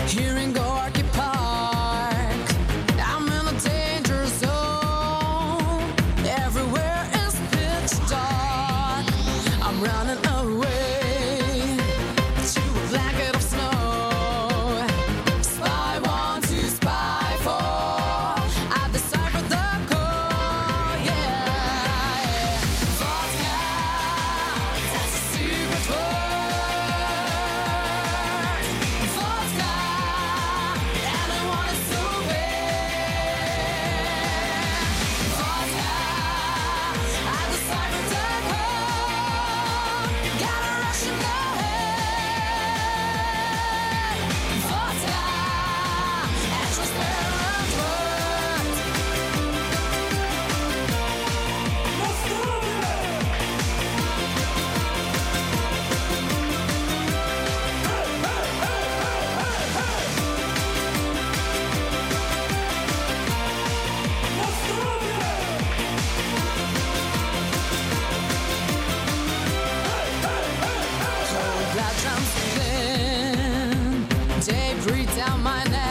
Here in Gorky Park, I'm in a danger zone. Everywhere is pitch dark. I'm running away to a blanket of snow. Spy one, two, spy four. I decipher the code. Yeah, vodka, that's a secret word. Vodka, and I want it so bad. Vodka, I deciphered the code. Got a rush in the head. Vodka, and transparent words. Cold blood jumps in, debris down my neck.